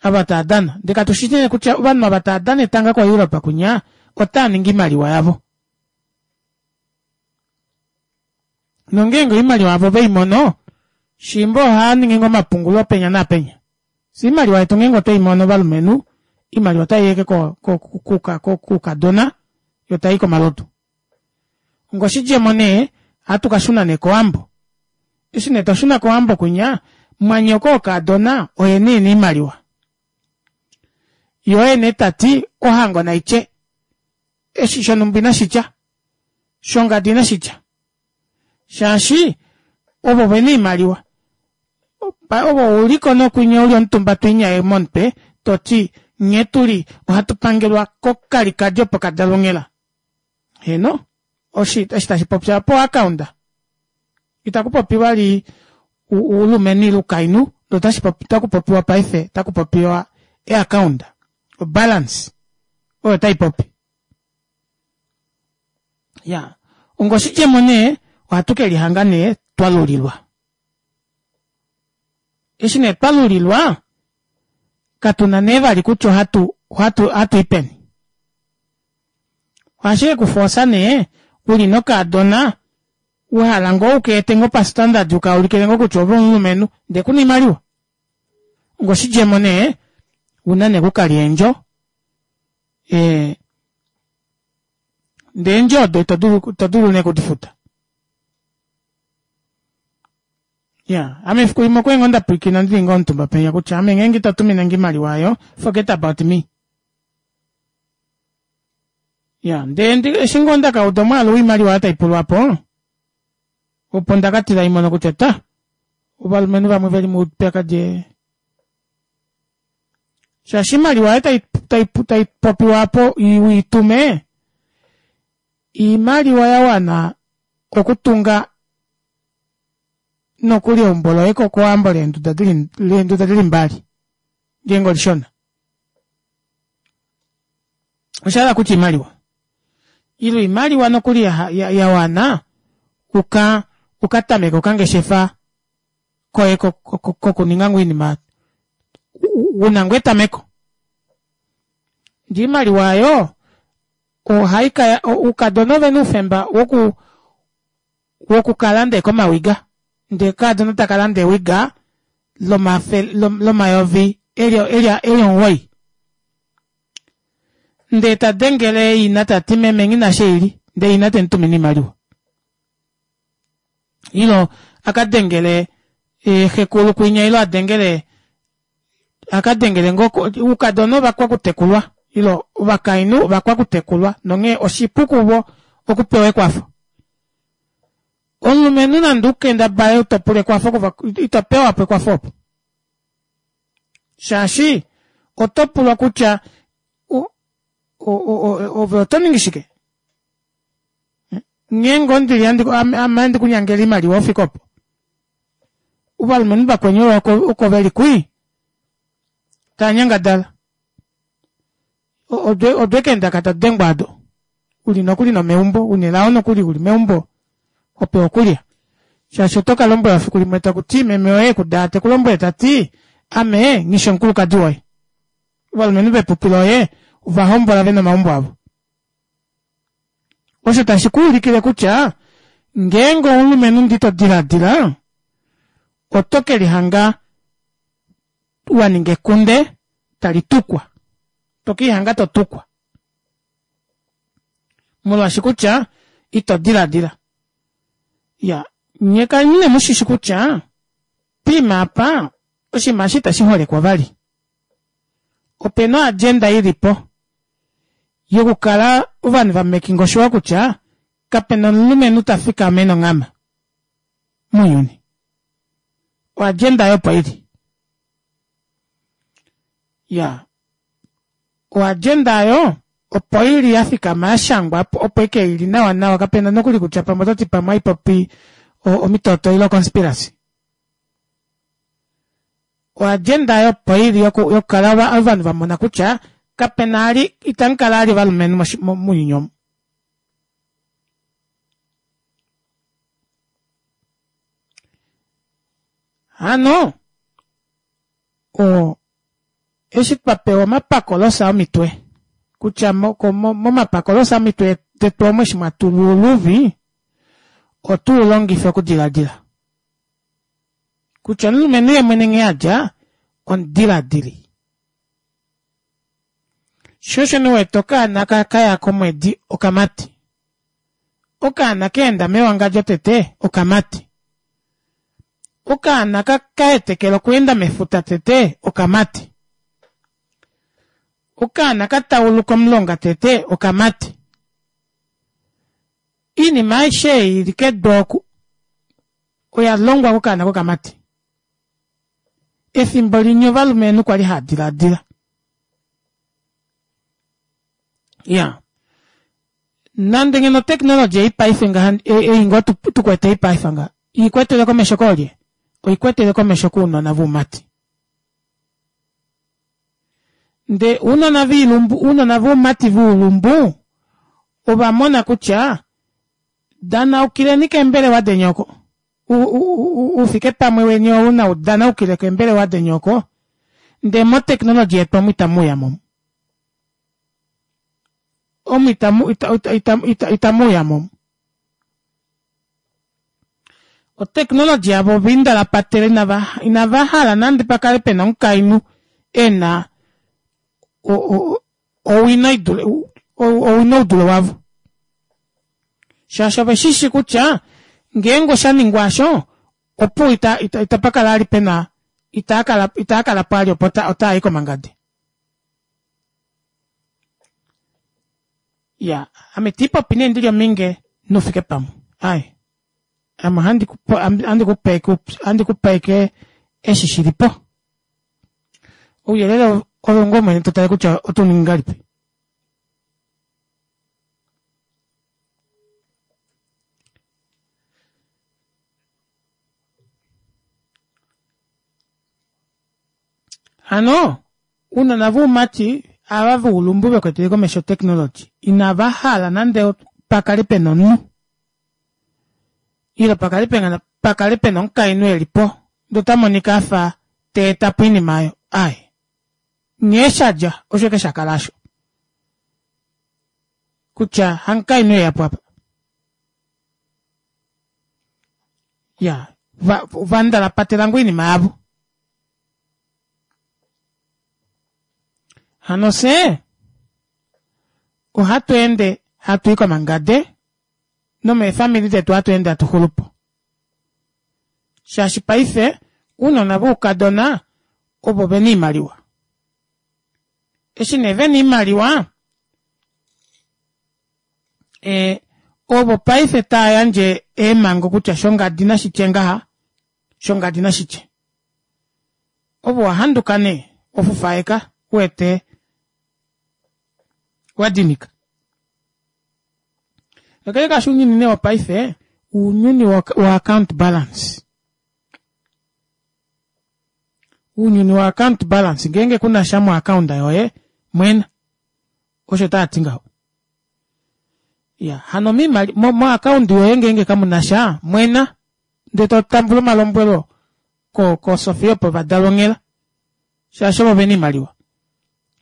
ava tava dana. Ndele katu shi nee kutya ovanhu ava tava dana etanga koEurope kwinya otava ningi oimaliwa yavo. Nongeenge oimaliwa yavo ve i mono, shiimba ohava ningi ngoo omapungulo penya naapenya. Fye oimaliwa yetu ngeenge otwe i mono ovalumenhu, oimaliwa otai yeke koukadona yo tai i komalodu. Ongoshidjemo nee, ohatu ka shuna nee kOwambo. Eshi nee twa shuna kOwambo kwinya, mwanyoko wokaadona oye nee e na oimaliwa. Ye oye nee ta ti ohango nai tye. Eshi shonhumba inashi tya, shongadi inashi tya. Shaashi ovo ve na oimaliwa. Ove ou li ko nokwinya u li omutumba to inyaye momutwe to ti nghee tu li ohatu pangelwa kokalikadi opo ka dalwa onghela. Heeno, oshi eshi tashi popi apa oakaunda. Itaku popi vali ulumenhu ile ukainhu, ndele otashi popi otaku popiwa paife otaku popiwa eakaunda, obalance oyo tai popi. Ya, ongoshidjemo nee ohatu ke lihanga nee twa lulilwa. Eshi nee twa lulilwa, katu na nee vali kutya ohatu ohatu ohatu i peni. Ohashi ke ku foosa nee u li nokaadona wa hala ngoo u ka ete ngoo pastandard u ka ulikile ngoo kutya ove omulumenhu ndee ku na oimaliwa. Ongoshidjemo nee u na nee okukalya eendjo ee ndee eendjo odo ito dulu ito dulu nee okudifuta. Ya, ame efiku limwe okwa li ngoo nda pwilikina ndili ngoo omutumba penya kutya ame ngeenge ito tumine nge oimaliwa oyo, forget about me. Ya, ndee ndi, eshi ngoo nda ka uda omwaalu woimaliwa oyo tai pulwa po, opo nda ka tila imono kutya ta, ovalumenhu vamwe ve li moupyakadi. Shaashi oimaliwa oyo tai, tai, tai popiwa apo u i tume, iimaliwa ya wana okutunga nokuli eumbo loye kOwambo leenduda dili leenduda dili mbali ngeenge olishona. Osha hala kutya iimaliwa ile oimaliwa nokuli ya, ya, ya wana uka uka tameke okangeshefa koye kokuninga ngoo oinima una ngoo etameko. Ndee oimaliwa oyo ohai ka oukadona ovena oufemba woku wokukalanda eke omawiga ndee kaadona taka landa ewiga lomayovi eli eli omuwoi ndee ta dengele ina ta ti meme nghi na sheili ndee ina te mu tumine oimaliwa ilo a ka dengele xekulu kwinya ilo a dengele a ka dengele ngoo oukadona ovakwakutekulwa ilo ovakainhu ovakwakutekulwa nonghee oshipu kuvo okupewa ekwafo. Omulumenhu nande u kendabale u to pula ekwafo kuva ito pewa po ekwafo opo. Shaashi oto pulwa kutya ove oto ningi shike? Ngeenge ondili ame handi ku nyangele oimaliwa ufike opo. Ovalumenhu vakweni oko veli kwii taa nyangadala. Odwe keendaka tadengwa ado. Uli nokuli nomeumbo, una elao nokuli uli meumbo hopewa okulya. Shaashi oto ka lombwelwa fiku limwe taku ti meme woye ekudaa te ku lombwele ta ti ame nghi shi omukulukadi woye. Ovalumenhu vepupi loye ova hombola ve na omaumbo avo. Osho tashi ku ulikile kutya ngeenge omulumenhu ndi to diladila oto ke lihanga wa ninga ekunde tali tukwa. To ke lihanga to tukwa. Molwaashi kutya ito diladila. Ya, nye kaleni ne mu shishi kutya poima apa oshinima eshi itashi holekwa vali. Ope na oagenda i li po yokukala ovanhu va making sure kutya kape na omulumenhu ta fikama e na onghama mounyuni. Oagenda oyo opo i li. Ya, oagenda oyo opo i li ya fikama ya shangwa opo ike i li nawanawa kape na nokuli kutya pamwe oto ti pamwe aipopi omitoto ile oconspiracy. Oagenda oyo opo i li yokukala ovanhu va mona kutya kape na ali itamu kala ali ovalumenhu mounyuni omu. Hano o eshi twa pewa omapakolosa omitwe kutya momapakolosa omitwe detu omo eshi mwa tulwa oluvi otu u longife okudiladila. Kutya omulumenhu ye mwene nghee a dja omudiladili. Sho osho nee wete okaana ka kaya komwedi okamati. Okaana ka enda mewangadjo tete okamati. Okaana ka ka hetekela okuenda mefuta tete okamati. Okaana ka tauluka omulonga tete okamati. Iinima aishe ei ili kedu oku oya longwa kokaana kokamati. Efimbo linya ovalumenhu kwali haa diladila. Ya. Nande ngeno oteknologi ei paife ngaha ei ngoo tukwete ei paife ngaha ikwetele komesho koolye? Oikwetele komesho kounona voumati. Nde ounona viilumbu, ounona voumati voulumbu ova mona kutya danaukileni keembelewa deni oko. Oufike pamwe weni ou nau danaukile keembelewa deni oko. Ndee moteknologi yetu omu itamu uya mo. Omu itamu itamu uya mo. Oteknologi yavo ova indalapatela inava inava hala nande pa kale pena omukainhu e na owino idule owino udule wavo. Shaashi ove shi shi kutya ngeenge osha ningwa asho opuwo ita ita itapa kala ali pena itaa kala itaa kala po ali opo otaa i komangade. Ya, ame tii popi nee ndili ominge noufike pamwe. Ai. Ame ohandi ku ohandi ku pe ohandi ku pe ike eshi shi li po. Ouyelele ove ngoo mwene to tale kutya oto ningi ngahelipi. Hano ounona voumati ava voulumbu vekwetele komesho technology inava hala nande pakale pena omunhu ile pakale pena pakale pena omukainhu eli po ndee ota monika afa ta eta po oinima oyo aaye nghee shadja osho eke shakala asho kutya hamukainhu eya po apa ya va, va ndalapatela ngoo oinima yavo Hano fye ohatu ende hatu i komangade nomeefamili detu hatu ende hatu xulu po. Shaashi paife ounona voukadona ovo ve na oimaliwa. Eshi nee ve na oimaliwa e, ovo paife taa yandje eemhango kutya shongadi nashi tye ngaha, shongadi nashi tye. Ove owa handuka nee, ofufaeka, u wete wa dinika. Kakele kaasho ounyuni nee wopaife ounyuni wa account balance. Ounyuni wa account balance ngeenge kuna sha mo account yoye mwena osho taa ti ngaho. Ya hano miimali mo, mo account yoye ngeenge kamuna sha mwena ndee to tambula omalombwelo ko ko Sofia opo vadalwa onghela shaashi ovo vena oimaliwa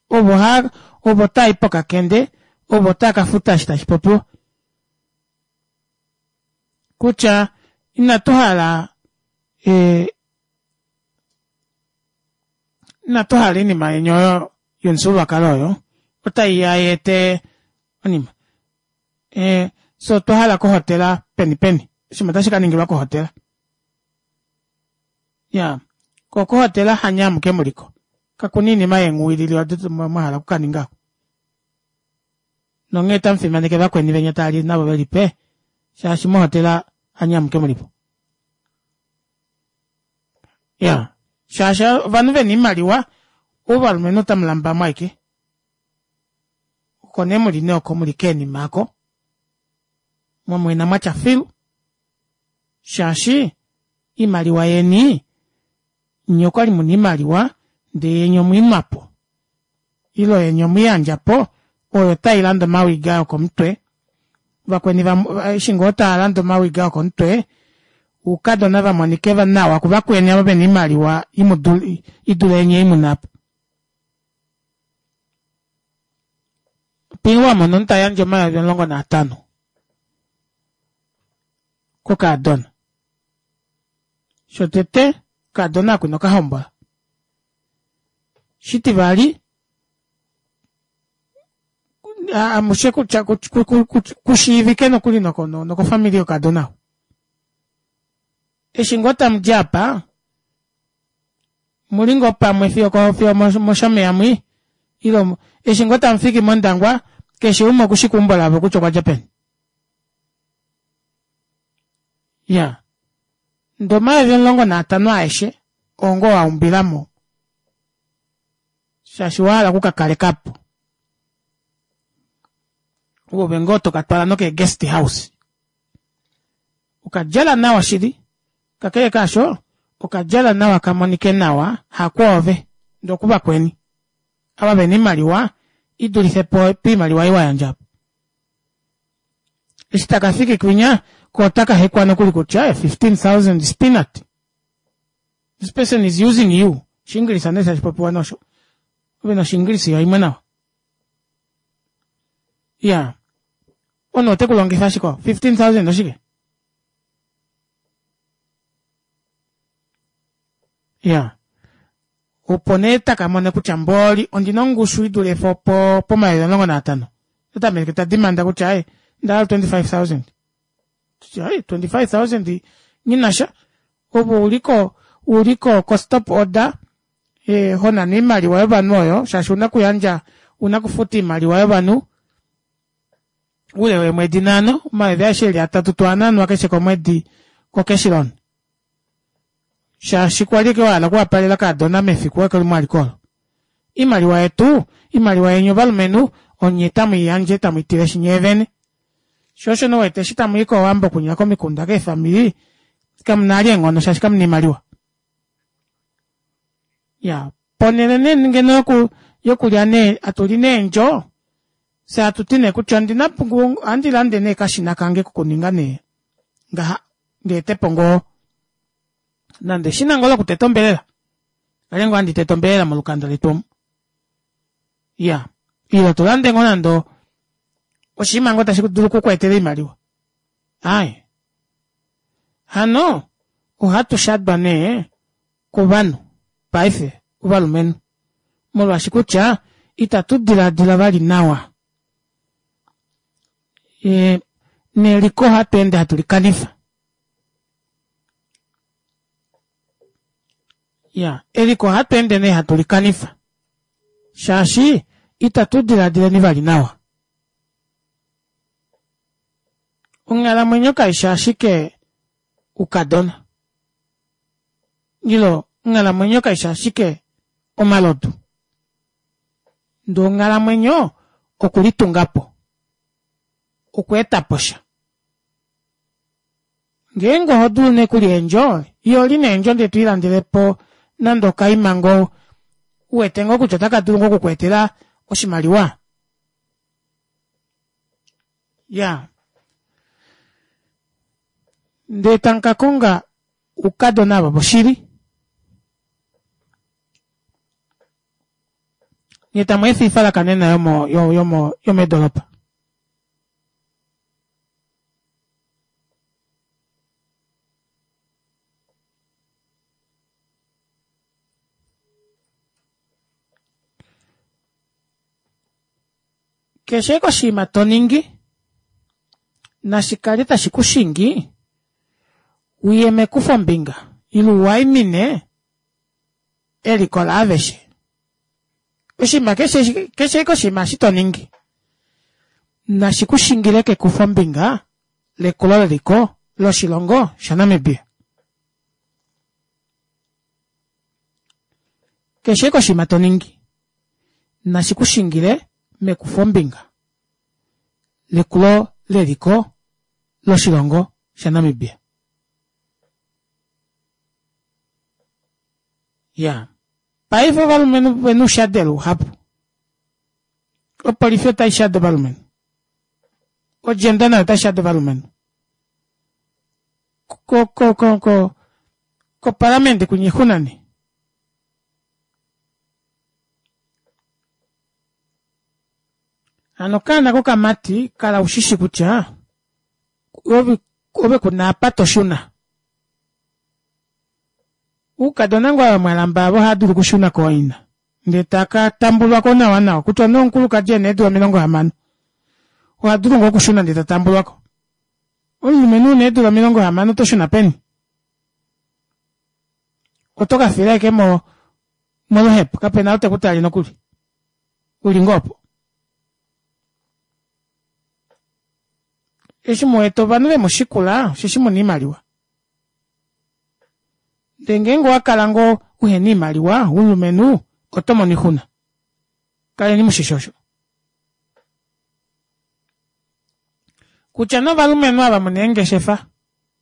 ovo ha ovo tai pokakende ovo taa ka futa eshi tashi popiwa kutya inatu hala e, inatu hala oinima yeni oyo yomufyuululwakalo oyo otai ya yeete onima e, so otwa hala kohotela peni peni oshinima otashi ka ningilwa kohotela ya ko kohotela hanye amuke muliko kakuna iinima yeenghuwilili odo mwa hala okukaninga ko nonghee tamu fimaneke vakweni venya tali navo velipe shaashi mohotela hanye amuke mulipo ya shaashi ovanhu vena iimaliwa ovalumenhu otamu lambamo aike oko nee muli nee oko muli keenima ako mwamwena mwatya filu shaashi iimaliwa yeni nye okwali muna iimaliwa ndee yeni omwiinwapo ile yeni omwiiyandjapo oyo tai landa omawiga okomutwe vakweni eshi ngoo taa landa omawiga okomutwe oukadona va monike nawa kuvakweni avo vena iimaliwa idule yenye imunapo Pii wa mona omunhu ta yandje 15,000 kokaadona. Shotete, okaadona ako inoka hombola. Shitivali, amushe kutya kushiivike nokuli nokofamili yokadona ou. Eshi ngoo tamu di apa, muli ngoo pamwe fiyo fiyo moshomeya mwi, ile eshi ngoo tamu fiki mOndangwa, keshe umwe okushi keumbo lavo kutya okwa dja peni. Ya. Ndee 15,000 aeshe oo ngoo wa umbila mo shaashi wa hala oku ka kaleka po. Ove ngoo to ka twala nokee guest house. Okadjala nawa shili, kakele kaasho okadjala nawa ka monike nawa hakwoove ndee okuvakweni ava vena oimaliwa i dulife po poimaliwa ei wa yandja po. Eshi taka fiki kwinya ko otaka hekwa nokuli kutya 15,000 is peanut. This person is using you. Oshiingilisa nee tashi popiwa nosho. Ove na Oshiingilisa yo imwe nawa. Ya. Omunhu ote ku longifa ashike 15,000 oshike? Ya. Opo nee taka mone kutya mboli ondina ongushu i dule po po-15,000. Ota tameke ta dimanda kutya ai nda hala 25,000. Ai 25,000 nghi sha. Ove uliko uliko ko stop order e, ho nana oimaliwa yovanhu oyo shaashi una kuyandja una kufuta oimaliwa yovanhu oule weemwedi nhano omayovi aeshe eli atatu to a nanwa keshe komwedi ko cash loan shaashi kwali ke wahala okuwapalela kaadona mefiku eke limwe alike olo imaliwa yetu imaliwa yeni ovalumenhu onye tamu i yandje tamu i tileshi nyee vene sho osho nowete eshi tamu i kowambo kunya komikunda keefamili kamu na ali eenghono shaashi kamu na imaliwa ya ponhele nee ngeno yoku yokulya nee atuli neendjo fye atu ti nee kutya ondina ohandi lande nee kashina kange kokuninga nee ngaha ndeetepo ngoo nande eshina ngoo lokuteta ombelela kale ngoo handi tete ombelela molukanda letu omu ya ile to lande ngoo nande oshinima ngoo tashi dulu oku ku etela oimaliwa ai hano ohatu shadwa nee kovanhu paife ovalumenhu molwaashi kutya itatu diladila vali nawa e, neliko ohatu ende hatu likanifa ya eliko ohatu ende nee hatu likanifa shaashi itatu diladileni vali nawa onghalamwenyo kaishi ashike ukadona ilo onghalamwenyo kaishi ashike omalodu ndee onghalamwenyo okulitunga po okweeta po sha. Ngeenge oho dulu nee kulya eendjo, yoli neendjo ndee to ilandele po nande okaima ngoo u wete ngoo kutya otaka dulu ngoo oku ku etela oshimaliwa. Ya. Ndee tamu ka konga oukadona ava voshili. Nye tamu efa oifalakanena yomo yomo yomeedolopa. Keshe ashike oshinima to ningi nashi kale tashi ku shingi uye mekufombinga ile u waimine eliko laaveshe. Oshinima keshe keshe ashike oshinima eshi to ningi nashi ku shingile kekufombinga lekulo leliko loshilongo shaNamibia. Keshe ashike oshinima to ningi nashi ku shingile mekufombinga lekulo leliko loshilongo shaNamibia. Ya. Paife ovalumenhu vena oushadelo uhapu. Opolifi otai shade ovalumenhu. Odjenda nayo otai shade ovalumenhu. Ko ko ko ko kopalamende kunya oixuna nee. Hano okaana kokamati kala ushishi kutya ove ove kuna apa to shuna. Oukadona ngoo ava mwalamba avo ohava dulu okushuna kooina ndee taka tambulwa ko nawa nawa kutya nee omukulukadi ena eedula 60 oha dulu ngoo okushuna ndee ta tambulwa ko. Omulumenhu una eedula 60 oto shuna peni? Oto ka fila ashike mo moluhepo kapena ou teku tale nokuli uli ngoo opo. Eshi mu wete ovanhu vemu shikula osheshi muna oimaliwa. Ndele ngeenge owa kala ngoo uhena oimaliwa umulumenhu oto mono oixuna. Kaleni mushishi osho. Kutya novalumenhu ava muna eengeshefa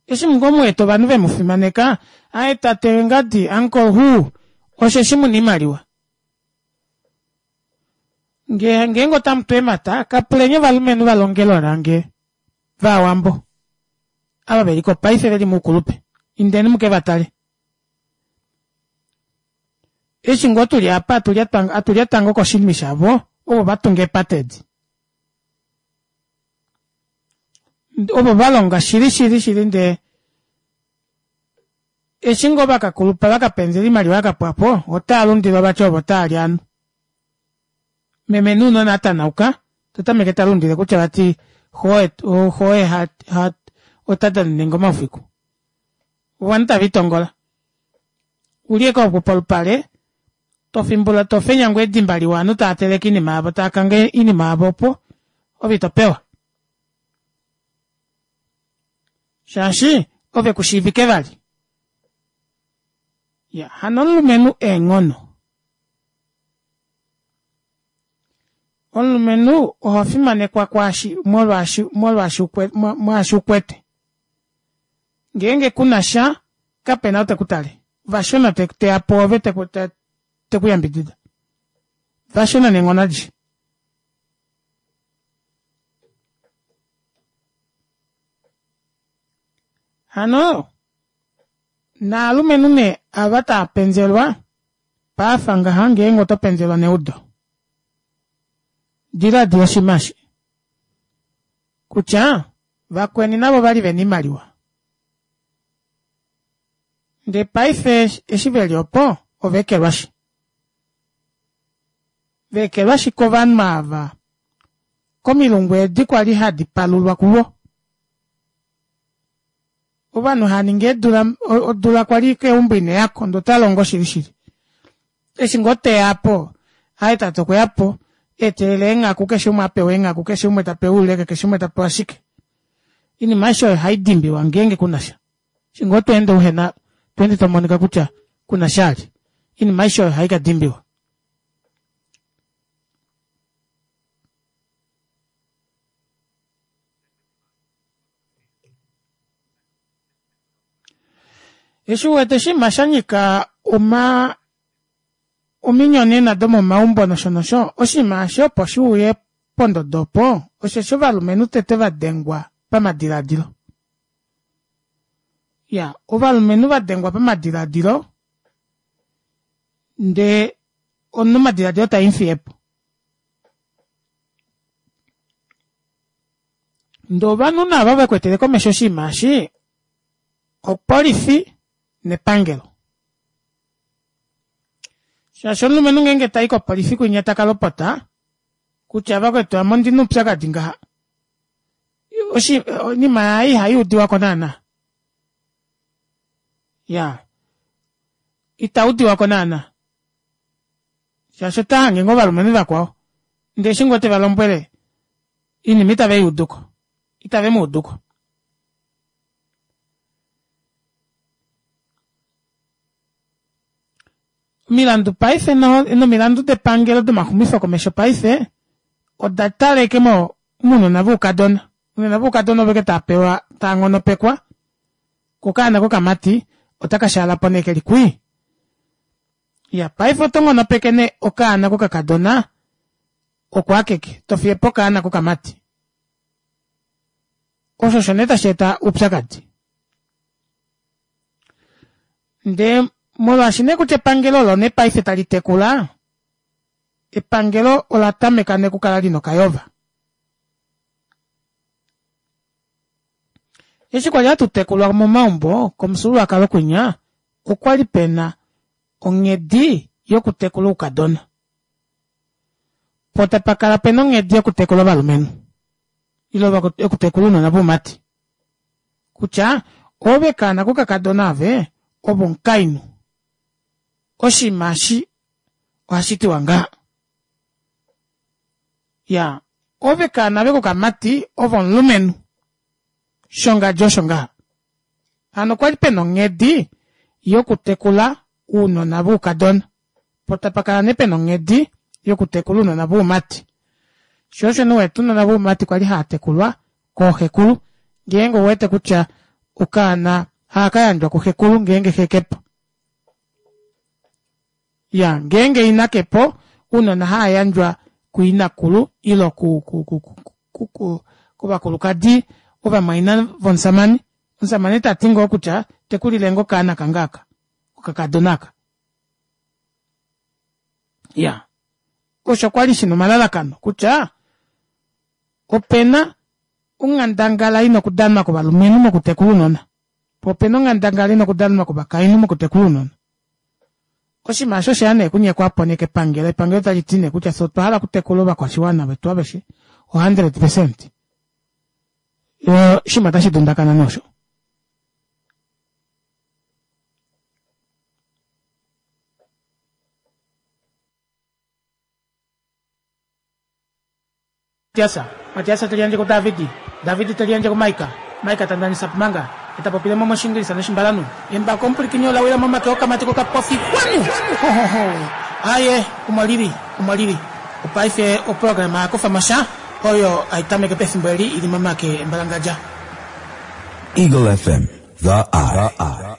eshi ngoo mu wete ovanhu vemu fimaneka aye tate ngadi uncle who osheshi muna oimaliwa. Nge ngeenge otamu tu eemhata kapuleni ovalumenhu va longelo lange vaawambo ava ve li ko paife ve li moukulupe indeni muke va tale. Eshi ngoo tuli apa atu lyata ngoo koshinima shavo ovo va tunga eepate edi. Ovo va longa shili shili shili ndee eshi ngoo va ka kulupa va ka penzela oimaliwa ya ka pwa po otaa lundilwa vati ovo taa li ovanhu. Meme nounona a tanauka ta tameke ta lundile kutya vati xo ota danene ngoo omaufiku. Ovanhu tave litongola. Uli ashike opo polupale to fimbula to fenya ngoo edimba liwa ovanhu tava teleke oinima yavo tava kange oinima yavo opo ove ito pewa. Shaashi ove ku shiivike vali. Ya, hano omulumenhu eenghono. Omulumenhu oho fimanekwa kwaashi molwaashi molwaashi mwaashi ukwete. Ngeenge ku na sha, kape na ou te ku tale. Vashona te teya pwoove te te ku yambidida. Vashona neenghono adishe. Hano naalumenhu nee ava taa penzelwa pafa ngaha ngeenge oto penzelwa neudo. Diladila oshinima eshi kutya vakweni navo ovali vena oimaliwa ndee paife eshi veli opo ova ekelwashi. Va ekelwashi kovanhu ava komilungu edi kwali hadi palulwa kuvo. Ovanhu hava ningi eedula odula kwali keumbo ine yako ndee ota longo shili shili. Eshi ngoo teya po aye tate okweya po eetelela eenghaku keshe umwe apewa eenghaku keshe umwe tapewa ouleke keshe umwe tapewa shike. Oinima aishe oyo ohai dimbiwa ngeenge kuna sha. Eshi ngoo to ende uhena to ende to monika kutya kuna sha ali oinima aishe oyo ohai ka dimbiwa. Eshi u wete oshinima sha nyika oma ominyonena domomaumbo nosho nosho, oshinima eshi opo shi uye pondodo opo, osheshi ovalumenhu tete va dengwa pamadilaadilo. Ya, ovalumenhu va dengwa pamadilaadilo ndee omunhu omadilaadilo taa mufiye po. Ndee ovanhu naava vekwetele komesho oshinima eshi opolifi nepangelo. Shaashi omulumenhu ngeenge tai kopolifi kwinya taka lopota kutya vakwetu ame ondina oupyakadi ngaha, oshi oinima yaye ihai udiwako naana. Ya ita udiwako naana shaashi ota hange ngoo ovalumenhu vakwao ndee eshi ngoo teva lombwele oinima itave i uduko, itave mu uduko. Omilandu paife nomilandu depangelo domaxumifo komesho paife oda taleke mo mounona voukadona. Ounona voukadona ovo eke tava pewa tava nghonopekwa ko okaana kokamati otaka shaala po nee keli kwii. Iya paife oto nghonopeke nee okaana kokakadona oko akeke to fiye po okaana kokamati. Osho osho nee tashi eta oupyakadi. Ndee molwaashi nee kutya epangelo olo nee paife tali tekula, epangelo ola tameka nee okukala lina okayova. Eshi kwali hatu tekulwa momaumbo komufyuululwakalo kwinya, okwali pena onghedi yokutekula oukadona. Po tapa kala pena onghedi yokutekula ovalumenhu ile yokutekula ounona voumati. Kutya ove kaana kokakadona ove, ove omukainhu. Oshinima eshi ohashi tiwa ngaha. Ya, ove kaana ve kokamati ove omulumenhu. Shongadjo osho ngaha. Hano okwa li pena onghedi yokutekula ounona voukadona. Po tapa kala nee pena onghedi yokutekula ounona voumati. Sho osho nee uwete ounona voumati kwali haa tekulwa kooxekulu ngeenge ouwete kutya okaana ohaka yandjwa kuxekulu ngeenge xe kepo. Ya, ngeenge ina kepo ounona haa yandjwa kuinakulu ile ku, ku, ku, ku, ku, ku, kovakulukadi ovamwaina vomusamane. Omusamane ta ti ngoo kutya tekulile ngoo okaana kange aka, okakadona aka. Ya, osho kwali shina omalalakano kutya opena onghandangala ina okudanwa kovalumenhu mokutekula ounona, po opena onghandangala ina okudanwa kovakainhu mokutekula ounona. Oshinima osho osheya nee okunyekwa po nee kepangelo, epangelo tali ti nee kutya fye otwa hala okutekula ovakwashiwana vetu aveshe o 100%. Oshinima otashi dundakana nee osho. Matiasa, Matiasa te liyandje kuDavidi, Davidi te liyandje kuMaika, Maika ta ndanisa Pumanga, e ta popile mo mOshiingilisa nOshimbalanhu. Embako omupwilikini ola wila momake okamati kokapofi Hwanu! Ho ho ho! Aaye, omo li li, omo li li. Opaife oprograma ya kufa mo sha, oyo hai tameke pefimbo eli i li momake embalangadja. Eagle FM, The Eye.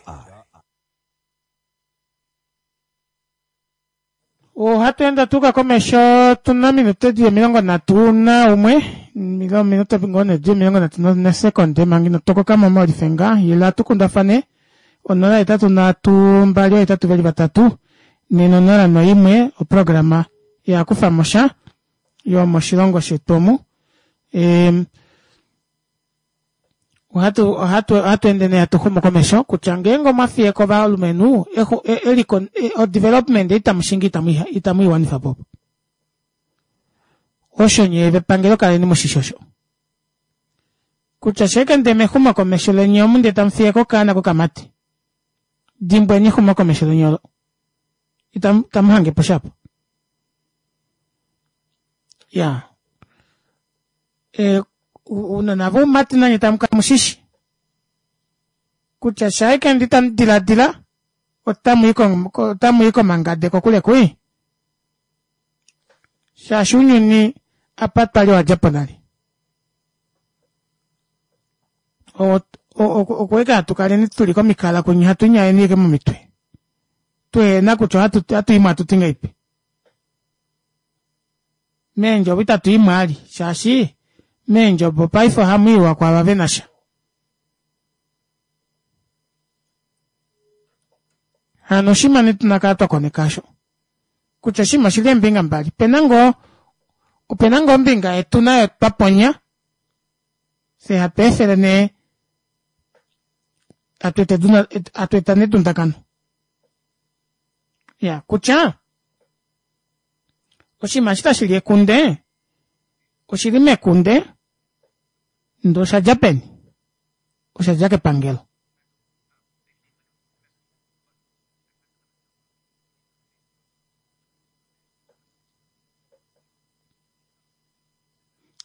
Ohatu ende tuuka komesho tuna ominute dili 31 ile ominute ngoo nee dili 30 nesekonde manga ino tokoka mo molifenga ila tu kundafane 0 8 3 2 8 2 3 4 0 1 oprograma ya kufa mo sha yomoshilongo shetu omu. Ohatu ohatu ohatu ende nee hatu xumu komesho kutya ngeenge omwa fiye ko ovalumenhu eliko odevelopment itamu shingi itamu itamu i wanifa po. Osho nyee vepangelo kaleni mushishi osho. Kutya sheeke ndee mexumo komesho leni omu ndee tamu fiye ko okaana kokamati. Dimbweni exumo komesho leni olo. Itamu itamu hange po shapo. Ya. Ounona voumati nanye tamu kala mushishi kutya shaike ndi tamu diladila otamu i komangade kokule kui shaashi ounyuni apa twali owa dja po nale. Okuweka hatu kaleni tuli komikala kwenye hatu inyaeni ike momitwe. Tuhena kutya ohatu imwe hatu ti ngahelipi. Meendjovo itatu imwe ali shaashi meendjovo paife ohamu iwa kwaava ve na sha. Hano oshinima nee tuna kala twa koneka osho kutya oshinima oshili eembinga mbali. Opena ngoo opena ngoo ombinga yetu nayo twa ponya fye hatu efele nee hatu eta hatu eta nee edundakano. Ya kutya oshinima eshi tashi li ekunde oshili mekunde ndee osha dja peni? Osha dja kepangelo.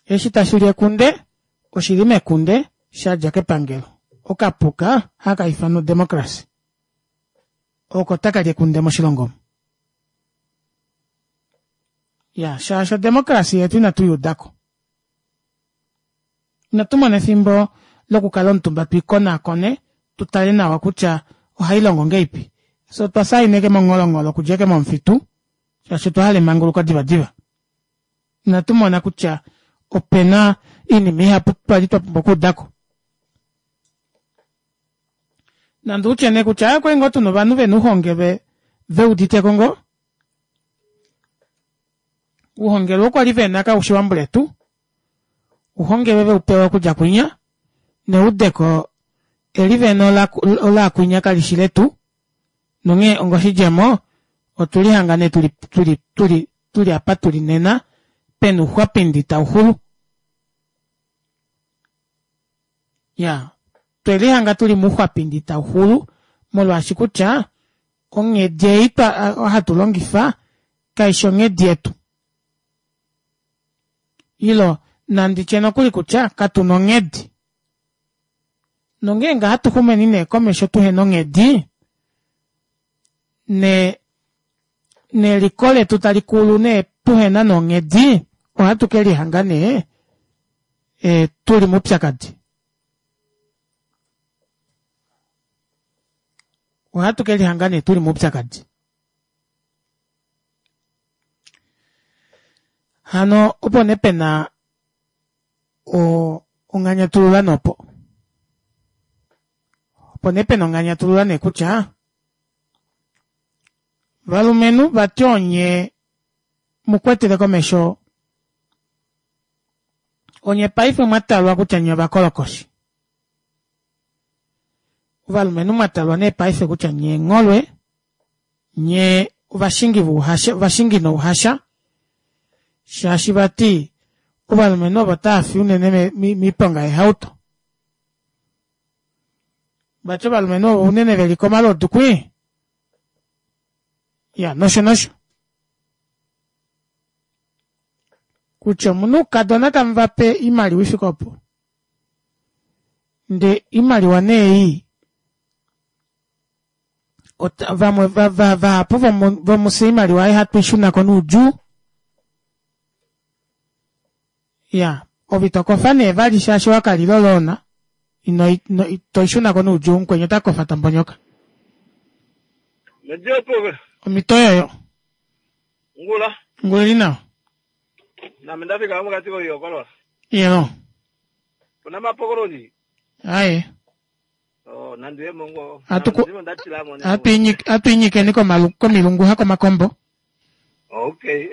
Eshi tashi li ekunde oshi li mekunde sha dja kepangelo. Okapuka haka ifanwa odemocracy oko taka li ekunde moshilongo omu. Ya, shaashi odemocracy yetu inatu i udako. Inatu mona efimbo lokukala omutumba tu ikonaakone tu tale nawa kutya ohai longo ngeipi. Fye otwa saina eke mongholongholo okudja eke momufitu shaashi otwa hala emanguluko divadiva. Inatu mona kutya ope na oinima ihapu twa li twa pumbwa okuuda ko. Nande utye nee kutya aaye okwali ngoo tuna ovanhu ve na ouhongelwe ve udite ko ngoo. Ouhongelwe oo kwali ve na kaushi wambuletu, ouhongelwe ve u pewa okudja kwinya, neudeko eli ve na olaakwinya kali shi letu, nonghee ongoshidjemo otwe lihanga nee tuli, tuli, tuli, tuli apa tuli nena, pena ouxwapindi tau xulu. Ya, twe lihanga tuli mouxwapindi tau xulu, molwaashi kutya onghedi ei twa, hatu longifa kai shi onghedi yetu. Ilo, nandi tye nokuli kutya katu na onghedi. Nongeenge hatu xumeni nee komesho tuhe na onghedi, ne, neliko letu tali kulu nee tuhe na nonghedi, ohatu ke lihanga nee e, tu li moupyakadi. Ohatu ke lihanga nee tu li moupyakadi. Hano opo nee pe na onganyatulula nopo. Opo nee pe na onganyatulula nee kutya valumenhu vati onye mu kwetele komesho onye paife mwa talwa kutya nye ovakolokoshi. Ovalumenhu mwa talwa nee paife kutya nye eengholwe, nye ovashingi vouhasha, ovashingi nouhasha, shaashi vati ovalumenhu ovo tava fi unene miiponga yeehauto. Vati ovalumenhu ovo unene ve li komalodu kwii. Ya, nosho nosho. Kutya omunhu oukadona tamu va pe oimaliwa i fike opo. Nde oimaliwa nee ei vamwe vahapu vomufye oimaliwa ei hatu i shuna ko noudjuu. Ya, ove ito kofa nee vali shaashi wa kalila oloona, ino, ino, to i shuna ko noudjuu, mukweni ota kofa ta mbonyoka. Omhito oyoyo. Ngula. Ngula ili nawa. Name ndafika mokati koihokolola. Iyelo. Puna mapokoloni. Aye. Oh, nandi ye mongo. Atu atu inyikeni komalu komilungu ha komakombo. Okay.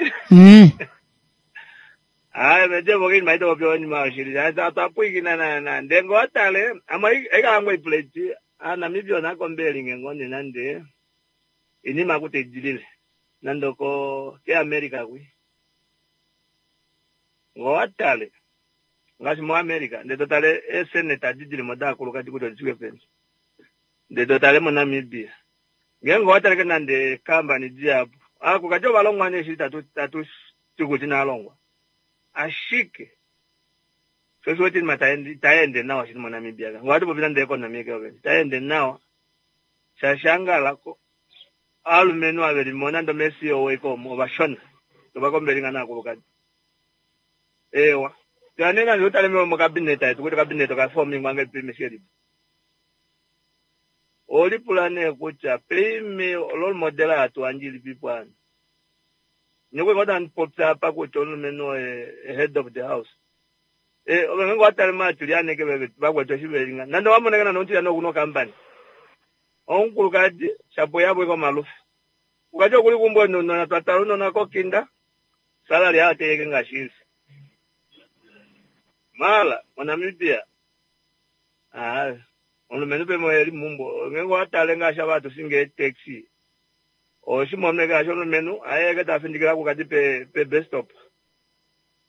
Aye, mete voke ni maita popyo ni mashiri. Aye, ta pwikina na na. Ndengo atale, ama eka ngwe plate. A Namibia na kombeli ngengone nande. Inima kute jilile. Nando ko ke America kwi. Ngo atale. Ngaashi moAmerica, ndele to tale eeseneta edi dili mo daakulukadi kutya odi fike peni. Ndele to tale moNamibia. Ngeenge owa taleke nande eekambani dihapu, aakulukadi ova longwa nee shili tatu tatu ti kutya inava longwa. Ashike sho osho wete oinima itai ende nawa shili moNamibia. Ngee ohatu popi nande economy eke yovene, itai ende nawa shaashi angala ovalumenhu ava veli mo nande omee-CEO eke omo ovashona, ovakombeli ngaa naakulukadi. Eewa. Toya nee nande utale mokabinet yetu kutya okabinet oka fomingwa ngahelipi meshielipo. Olipula nee kutya peime role model hatu yandje ilipipo hano. Nokwe ngoo tandi popya apa kutya omulumenhu oye head of the house. Ove ngeenge owa tale maatilyane ke vakwetu eshi veli nga nande owa moneke nande omutilyane okuna okampani. Omukulukadi shapo yavo ike omalufe. Ukati okuli kumbo nounona twa tala ounona kokinda salary yayo teyeke ngaashi ili. Mala moNamibia ah omulumenhu peme eli mumbo ngeenge owa tale ngaashi ava hatu shingi eetaxi oshimome ngaashi omulumenhu ayeke ta findikile akukadi pe pe bus stop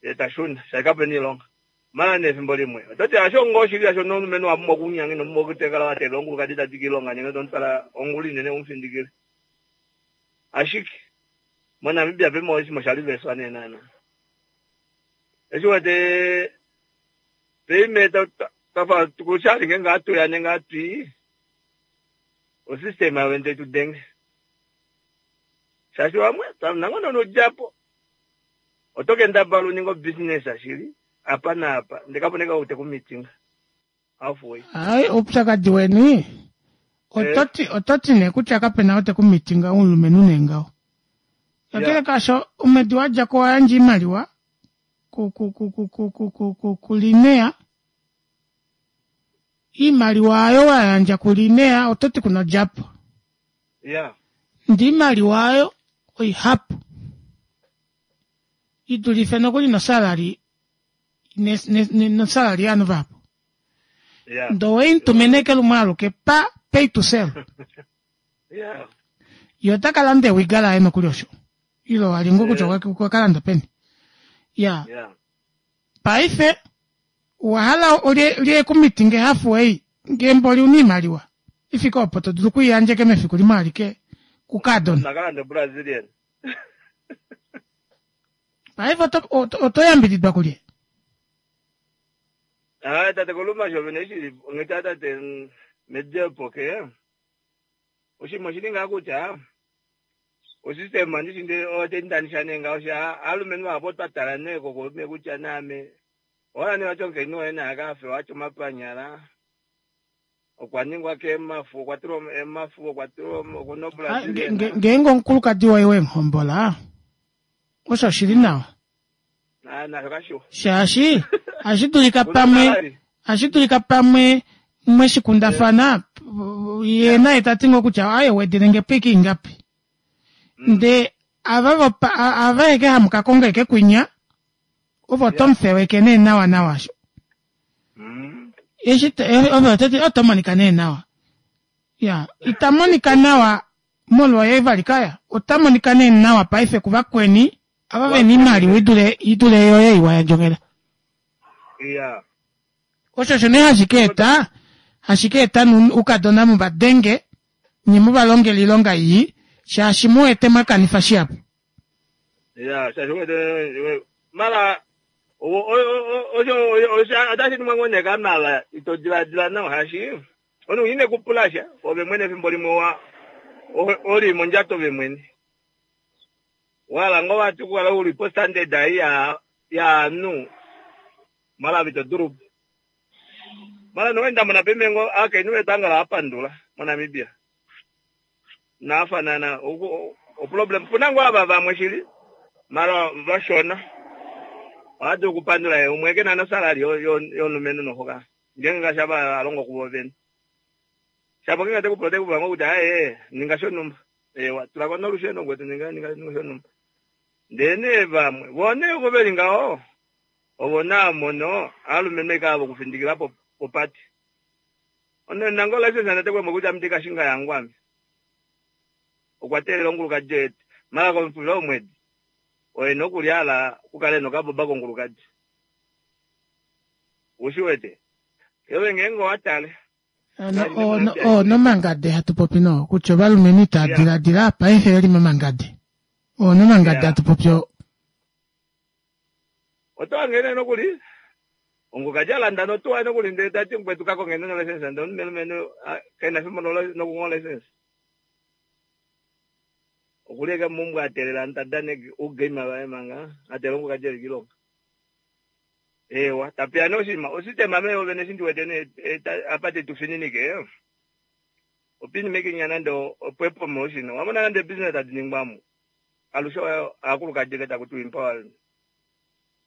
ye ta shuna shaashi kapena iilonga. Mala nee efimbo limwe ototi hasho ngoo shili hasho nomulumenhu owa pumbwa okunyanga ino pumbwa okutekala wa teelela omukulukadi tadi kiilonga nenge tomutwala ongula inene umufindikile. Ashike moNamibia peme oshinima osha liveswa nee naana. Eshi wete peime twafa kushali ngeenge hatuya nenge hatwii osystem yavo tai tu denge. Shaashi vamwe nango nonodjapo oto kendabala uninge obusiness shili apa naapa ndee kapuna ou teku meetinga halfway. Ai, oupyakadi weni ototi ototi nee kutya kapena ou teku meetinga omulumenhu nee ngaho. Kakele kaasho omwedi wa dja ko owa yandja oimaliwa ku ku ku ku ku ku ku ku kuLinea. Iimaliwa ayo wa yandja kuLinea ototi kuna odjapo. Ndee iimaliwa ayo oihapu i dulife nokuli nosalary nosalary yovanhu vahapu. Ndee oweimutumine ashike lumwe aluke pa pay to sell. Ye ota ka landa ewiga laye nokuli osho. Ile wa li ngoo kutya okwa ka landa peni. Ya. Paife owa hala olye ku meetinge halfway ngee mboli una iimaliwa ifike opo to dulu okwiiyandja eke mefiku limwe alike kukaadona. Nakalande Brazilian. Paife oto yambididwa kulye? Ah, tate Koluma sho vene shili ngeta tate mediepo ke. Oshinima oshili ngaa kutya osystem andishi nde otendanisha nee ngaho sha aalumenhu vahapu otwa tala nee kokolume kutya naame owahala nee vati omukainhu woye naye akafe watya omapanyala okwa ningwa keemafu okwa tulwa emafu okwa tulwa okuna obrazilian. Ngeenge omukulukadi woye wemuhombola osho oshili nawa. Nasho kashiwa. Shaashi ohashi dulika pamwe ohashi dulika pamwe mweshikundafana ye naye ta ti ngoo kutya aye wedele nge po ike ingapi. Nde ava vopa ava eke hamu ka konga eke kwinya ovo oto mu feweke nee nawa nawa sho. Eshi ove oto ti oto monika nee nawa. Ya ita monika nawa molwoye vali kaya ota monika nee nawa paife kuvakweni ava vena iimaliwa idule idule yoye iwa yandjongela. Ya. Osho osho nee hashi ka eta hashi ka eta ukadona mu vadenge nye mu valongele oilonga ii shaashi mu wete mwa kanifa shihapu. Ya, shaashi wete mala osho otashi ningwa ngoo nee kamala ito diladila nawa shaashi omunhu ine ku pula sha ove mwene efimbo limwe wa oli mondjato ove mwene. Wahala ngoo vati okukala uli postandard ei yaanhu mala ove ito dulu. Mala nowe ndamona pemengo aakainhu vetu angala apandula moNamibia. Nafanana oproblem puna ngoo ava vamwe shili mala vashona. Ohadulu okupandula ye umwe ke na nosalary yomulumenhu nohoka. Ngeenge ngaashi ava alongo kuvo vene. Shapo ngeenge tekupula otekupula ngoo kutya aye ninga shonhumba. Ewa tulako nolusheno kwetu ninga ninga shonhumba. Ndele nee vamwe vo nee ovo veli ngaho ovo naamono aalumenhu eke ava okufindikila popati. Ono nango license ndate kwemwe kutya ame kashinga yangu ame. Okwa teelela ongulukadi yetu. Mala komufulilo womwedi oye nokuli ala kukale nokaboba kongulukadi. Ushi wete. Ewe ngeenge owa tale. Nomangade hatu popi no kutya ovalumenhu itava diladila paife veli momangade. Onomangade hatu popi o. Oto hange nokuli ongukadi alanda notuwa nokuli ndele tati mukwetu ka konge no license ndele omulumenhu kena fimbo nokunwa license. Okuli eke mumbwa atelela ntadane ugame vaye manga atele ongukadi eli kilonga. Ewa tapeya nee oshinima osystem ame vene eshi ndiwete nee apa tetu fininike. Opini mekinya nande opo promotion. Wamona nande business tadi ningwamo. Alushe aakulukadi ke taku tiwa empowerment.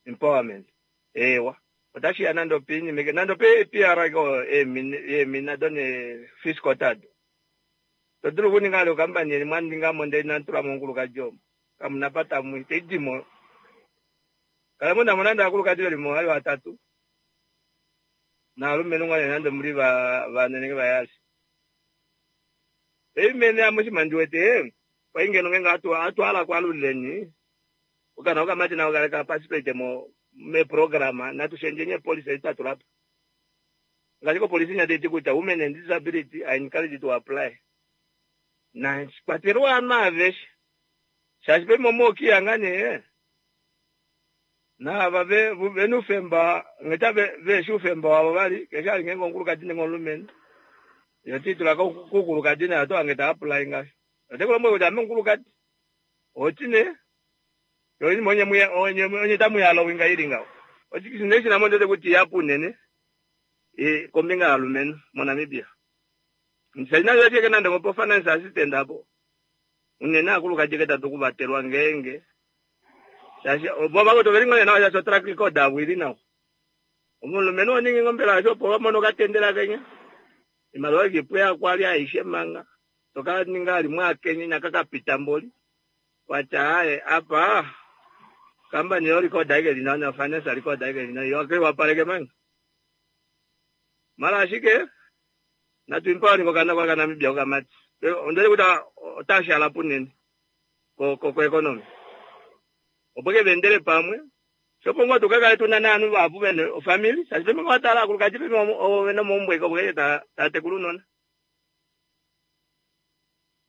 Empowerment. Ewa. Otashi ya nande opini meke nande ope PR ko eemina done fiscal tado. To dulu okuninga ale okampani yeni mwa ninga mo ndele inamu tula mo omukulukadi omo. Kamu na pata mu itaidi mo. Kala mu na mo nande aakulukadi veli mo vali vatatu. Naalumenhu ngoo nee nande muli vane nenge vayali. Eimene ame oshinima ndi wete kwai ngeno ngeenge atwala kwalulileni okana okamati nako kale ka participate mo meprograma natu shendjeni epolisi edi twa tula po. Ngaashi kopolisi inya taiti kutya women and disability are encouraged to apply. Na kwatelwa ovanhu aveshe shaashi paife momookiya ngaa nee naava vena oufemba ngheta veshi oufemba wavo vali keshe ali ngeenge omukulukadi nenge omulumenhu yo tiitula koukulukadi naye oto hange ta apply ngaho. Ote ku lombwele kutya ame omukulukadi oti nee yo oinima onye tamu yalowinga ili ngaho. Oshinima shina mo ndete kuti yapu unene kombinga yovalumenhu moNamibia. Shaashi nande nande ngopo finance assistant apo unene aakulukadi ke tatu kuvatelwa ngeenge shaashi vo vakwetu oveli ngoo nee nawa shaashi otrack record avo ili nawa. Omulumenhu oningi ngoo mbela shaashi opo wamona okatendela kenya imaliwa ikipweya kwali aishe manga toka ninga limwe akenya inaka kapita mboli watya aye apa kambani yo record aike li nawa na finance record aike li nawa yo akeiwapaleke manga mala ashike natu empowering okana kwa kaNamibia okamati ondele kutya otashala punene ko economy opo ke vendele pamwe shopo ngoo tukakale tuna naanhu vahapu vene ofamily shaashi peme watala akulukadi peme ovo vena omaumbo eke opo keke tatekula unona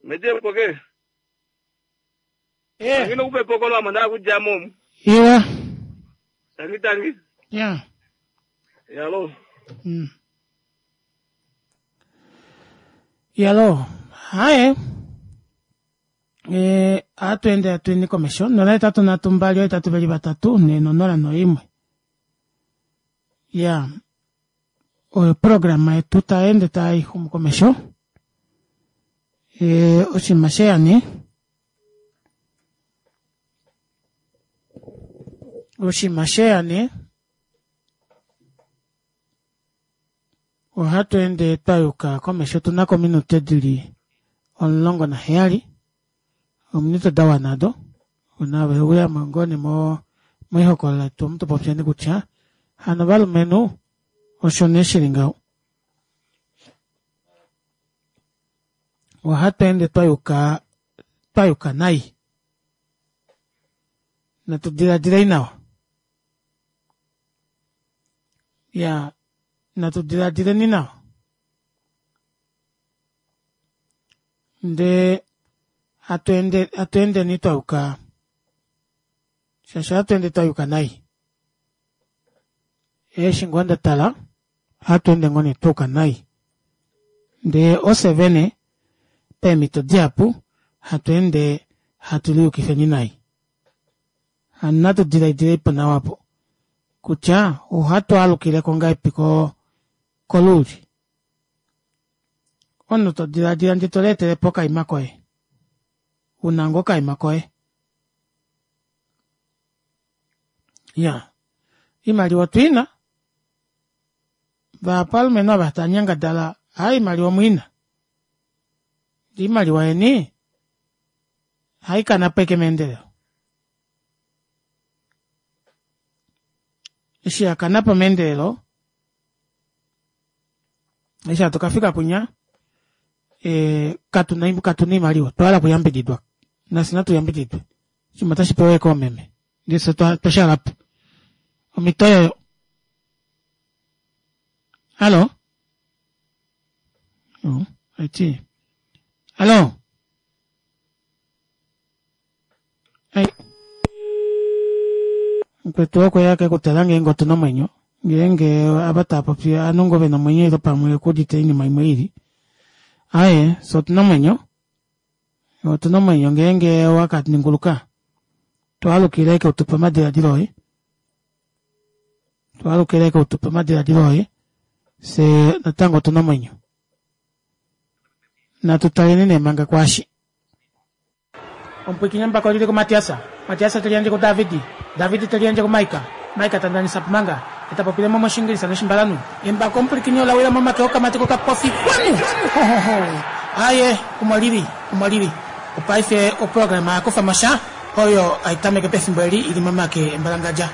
mediepo ke angina okupa epokolo amo ndaa kudja momu. Iwa. Tangi tangi. Ya. Yalo. Yalo. Haye. Ohatu ende atueni komesho 083 2 8 2 4 0 1. Ya. Oyo programa yetu taende tai xumu komesho. Oshinima sheyani. Oshinima sheyani ohatu ende twayuka komesho tuna kominute dili 17 ominute da wana do ona uya ngoo nee moihokolola yetu omu tupopyeni kutya hano ovalumenhu osho nee shili ngaho. Ohatu ende twayuka nai. Natu diladilei nawa. Ya natu diladileni nawa. Ndee hatu endeni twayuka shaashi ohatu ende twayuka nai. Eshi ngoo ndatala ohatu ende ngoo nee twayuka nai. Ndee ofye vene peemhito dihapu hatu ende hatu liyukifeni nai. Hano natu diladile nawa po kutya ohatu alukileko ngahelipi koluuli. Omunhu to diladila ndee to leetelepo okaima koye. Una ngoo okaima koye. Ya. Iimaliwa otwiina. Vahapu ovalumenhu ava tava nyangadala aa imaliwa omwiina. Ndee imaliwa yeni haikanapo ashike meendelelo. Eshi yakanapo meendelelo eshi hatu kafika kunya katuna imaliwa otwahala okuyambididwa nafye natu yambididwe oshinima otashi pewa ashike oomeme ndee fye twashalapo omhito oyoyo. Hallo. Aiti. Hallo. Ai. Mukwetu okweya kekutala ngeenge otuna omwenyo ngeenge ava taapopi ovanhu ngoo vena omwenyo ile pamwe okuudite oinima imwe ili. Aaye fye otuna omwenyo. Otuna omwenyo ngeenge wakaninguluka twaalukile ashike utupe omadiladilo oye. Twaalukile ashike utupe omadiladilo oye. Fye natango otuna omwenyo. Natu taleni nee manga kwaashi. Omupwiikini embako oli li kuMatias. Matias te liyandje kuDavid. David te liyandje kuMaika. Maika ta ndanisa po manga, e ta popile mo mOshiingilisa nOshimbalanhu. Embako omupwilikini ola wila momake okamati kokapofi. Kwanu! Ho, ho, ho! Aye, omo li li. Omo li li. Opaife oprograma ya kufa mo sha, oyo hai tameke pefimbo eli i li momake embalangadja.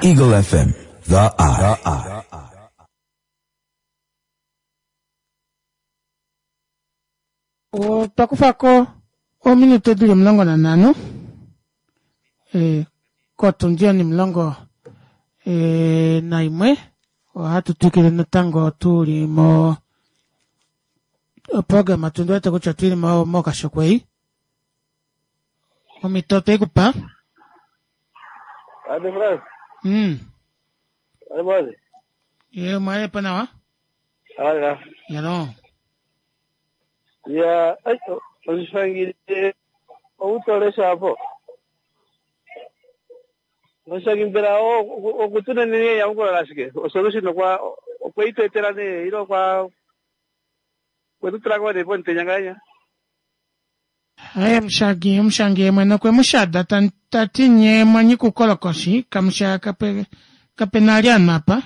Eagle FM, The Eye. Otwa kufa ko ominute di li 15 eh, kotundi onimulongo eh, naimwe. Ohatu twikile natango tu li mo oprograma tu wete kutya tu li mo mokashokwei. Omhito otwe i ku pa. Ade Frans. Ade. Ye omwalepo nawa. Ala. Yalo. Ya, ai, oshishangile outolesha apo. Oshangi mbela okutunenene nyamukulo lashike? Osolution okwa okweitwetela ne ilo kwa kwetutula ko ne pomutenya ngahenya. Aye mushangi omushangi ye mwene okwe mu shada ta ti nye mwa nyika oukolokoshi kamusha kape kape na ali anhu apa.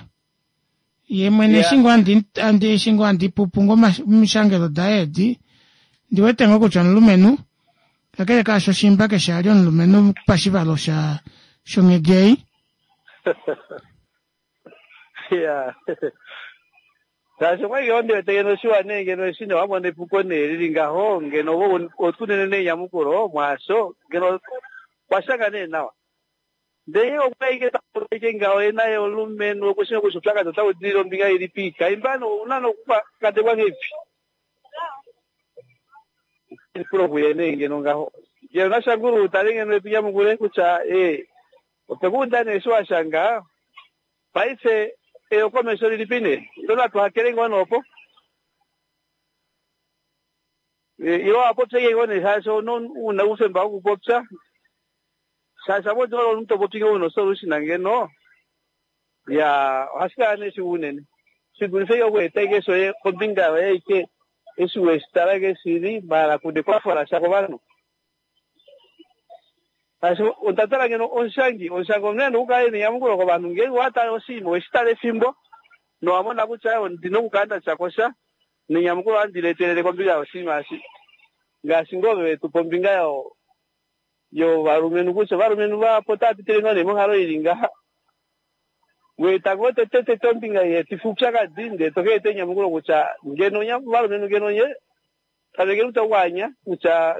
Ye mwene eshi ngoo andi andi eshi ngoo andi pupu ngoo omishangelo daye edi ndi wete ngoo kutya omulumenhu kakele kaasho shimba keshe a li omulumenhu pashivalo sha shonghedi ei. Ya. Shaashi okwali ngeno ndi wete ngeno shiwa nee ngeno eshi nee wamona epuko nee lili ngaho ngeno ove otunene nee enyamukulo mwaasho ngeno washanga nee nawa. Ndele ngenge okwa ike ta popi ike ngaho ye naye omulumenhu oku shii kutya oupyakadi otau dilile ombinga ilipi, kaimba nee ouna nee okukandekwa ngeipi? Epulo kuye nee ngeno ngaho. Ngeno naShangulu tale ngeno etu nyamukule kutya ee otwe ku uda nee eshi wa shanga, paife eyokomesho lilipi nee? Ilo natu hakele ngoo nee opo? Ilo wa popya ike ngoo nee shaashi ouna oufemba wokupopya. Shaashi apo odi omuntu to popi ngeno una osolution ngeno, ya ohashi kala nee shiwa unene. Shi dulife ike oku eta ike shoye kombinga yoye ike eshi weshi tala ike shili maala kuna ekwafo lasha kovanhu. Shaashi onda tala ngeno omushangi, omushangi omunhu ena okukala ena enyamukulo kovanhu ngeenge owa tale oshinima oweshi tala efimbo nowa mona kutya ondina okukala nda tya ko sha nenyamukulo ohandi li etelele kombinga yoshinima eshi. Ngaashi ngoo ove wetu pa ombinga yo yovalumenhu kutya ovalumenhu vahapu otava pitile ngoo nee monghalo ili ngaha. Weeta ngoo tete tete ombinga ei yeetifa oupyakadi ndee to ka eta enyamukulo kutya ngeno nye ovalumenhu ngeno nye tamekeni kutya okwaanya kutya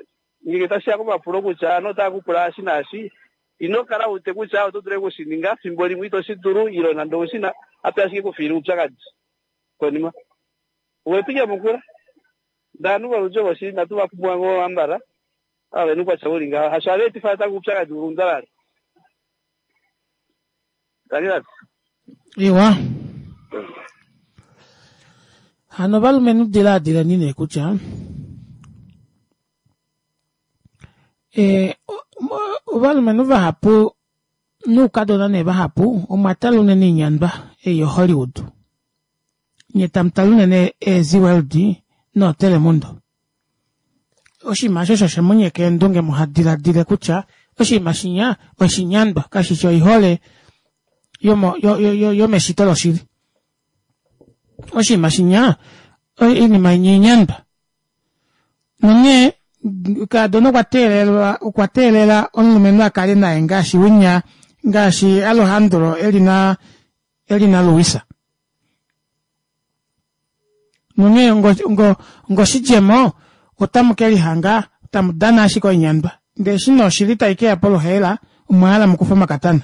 ngenge tashi ya komapulo kutya ovanhu otava ku pula eshi naashi ino kala u wete kutya oto dulu oku shi ninga fimbo limwe ito shi dulu ile nande ou shi na ape ashike kufiile oupyakadi konima. Owe tu nyamukula. Ndee ovanhu voludji ovo shili inatu va pumbwa ngoo ambala. Ava vena oukwatya uli ngaho hasho hava etifa natango oupyakadi ulundalale. Tangi Iwa. Hano ovalumenhu dilaadileni nee kutya e, ovalumenhu vahapu noukadona nee vahapu omwa tala unene inyandwa ei yoHollywood. Nye tamu tala unene eeZee World nooTelemundo. Oshinima osho osho she mu nyeka eendunge muha diladile kutya oshinima shinya oshinyandwa kashi shi oihole yomo, yo, yo, yo, yomeshito loshili. Oshinima shinya oinima inya inyandwa. Nonghee kaadona okwa teelelwa okwa teelela omulumenhu a kale naye ngaashi winya ngaashi Alejandro e li na e li naLuisa. Nonghee ngoshidjemo otamu ke lihanga tamu dana ashike oinyandwa. Ndele eshi nee oshili tai ke ya poluhaela, omwa hala mu kufe omakatana.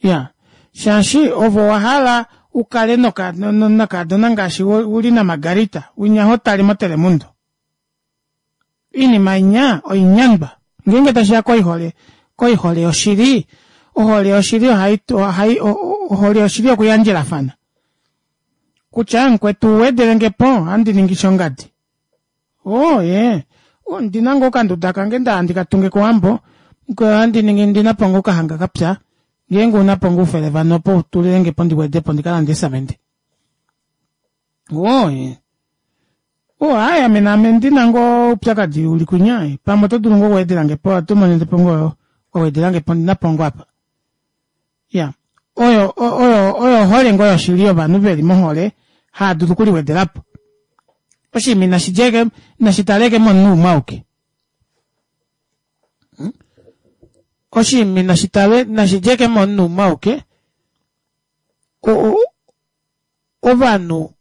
Ya, shaashi ove owa hala u kale nokadona ngaashi u li naMargarita, winya ho tale moTelemundo. Oinima inya oinyandwa. Ngeenge tashi ya koihole, koihole yoshili, ohole yoshili ohai, ohai, ohole yoshili okuyandjelafana. Kutya mukwetu wedele nge po, ohandi ningi shongadi. Oh, ye. Ondi na ngoo okanduda kange nda handi ka tunge kOwambo, ohandi ningi ndi na po ngoo okahanga ka pya. Ngeenge u na po ngoo oufele vano opo u tulile nge po ndi wede po ndi ka lande esamende. Woo, o hayi ame naame ndina ngoo oupyakadi uli kunya pamwe oto dulu ngoo okuwedelange po oto monene po ngoo wawedelange po ndina po ngoo apa ya oyo oyo oyo ohole ngoo yoshili yovanhu veli mohole haa dulu okuliwedelapo oshinima inashi djeke inashi taleke momunhu umwe auke hmm? oshinima inashi tale inashi djeke momunhu umwe auke ovanhu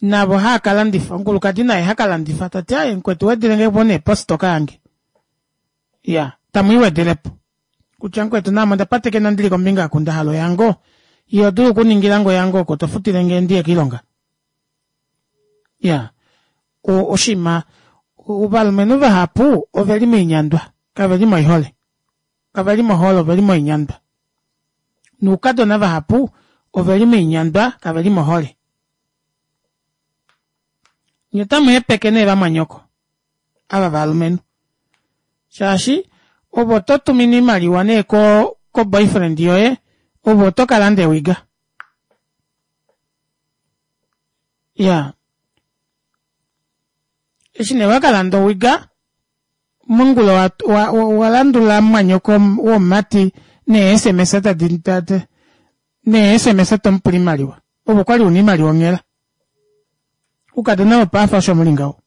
navo haa ka landifa omukulukadi naye ha ka landifa ta ti aye mukwetu wedele nge po nee postoka yange ya tamu i wedele po kutya mukwetu naame onda patekena ndili kombinga aku nda hala oyango iho dulu okuningila nge oyango oko to futile nge ndiye kiilonga ya oshinima ovalumenhu vahapu oveli moinyandwa kave li moihole Kave li mohole, ove li moinyandwa. Noukadona vahapu ove li moinyandwa, kave li mohole. Nye otamu hepeke nee vamwanyoko ava valumenhu, shaashi ove oto tumine oimaliwa nee ko ko boyfriend yoye, ove oto ka landa ewiga. Ya. Eshi nee wa ka landa owiga, mongula wa landula mumwanyoko womumati nee-sms tadi nee-sms to mu pula iimaliwa ove okwali una iimaliwa onghela ukadona wopaafa osho muli ngaho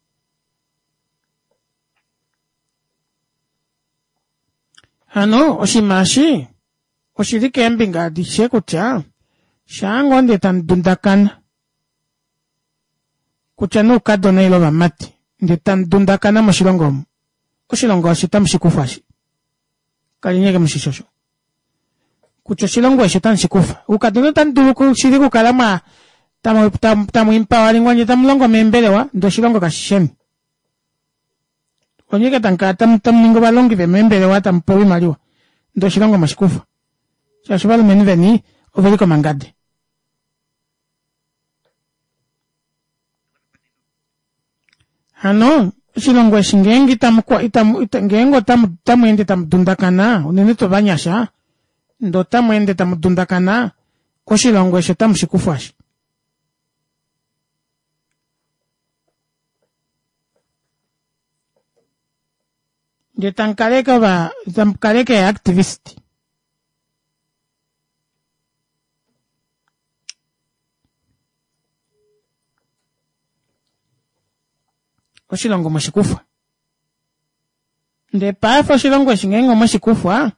hano oshinima eshi oshili keembinga adishe kutya shaa ngoo ndee tamu dundakana kutya nee oukadona ile ovamati ndee tamu dundakana moshilongo omu oshilongo eshi otamu shi kufa shi kaleni eke mushishi osho kutya oshilongo eshi otamu shi kufa oukadona otamu dulu shili okukala mwa tamu tamu tamu empowering nye tamu longo meembelewa ndee oshilongo kashi sheni onye ke tamu kala tamu tamu ningi ovalongi vemeembelewa tamu pewa oimaliwa ndee oshilongo mweshi kufa shaashi ovalumenhu veni oveli komangade Hano oshilongo eshi ngeenge itamu itamu ngeenge otamu otamu ende tamu dundakana unene tuu ovanyasha ndee otamu ende tamu dundakana oshilongo eshi otamu shi kufwa shi ndee tamu kaleke ova tamu kaleke activist Oshilongo mweshikufwa. Ndee paife oshilongo eshi ngeenge omweshikufwa,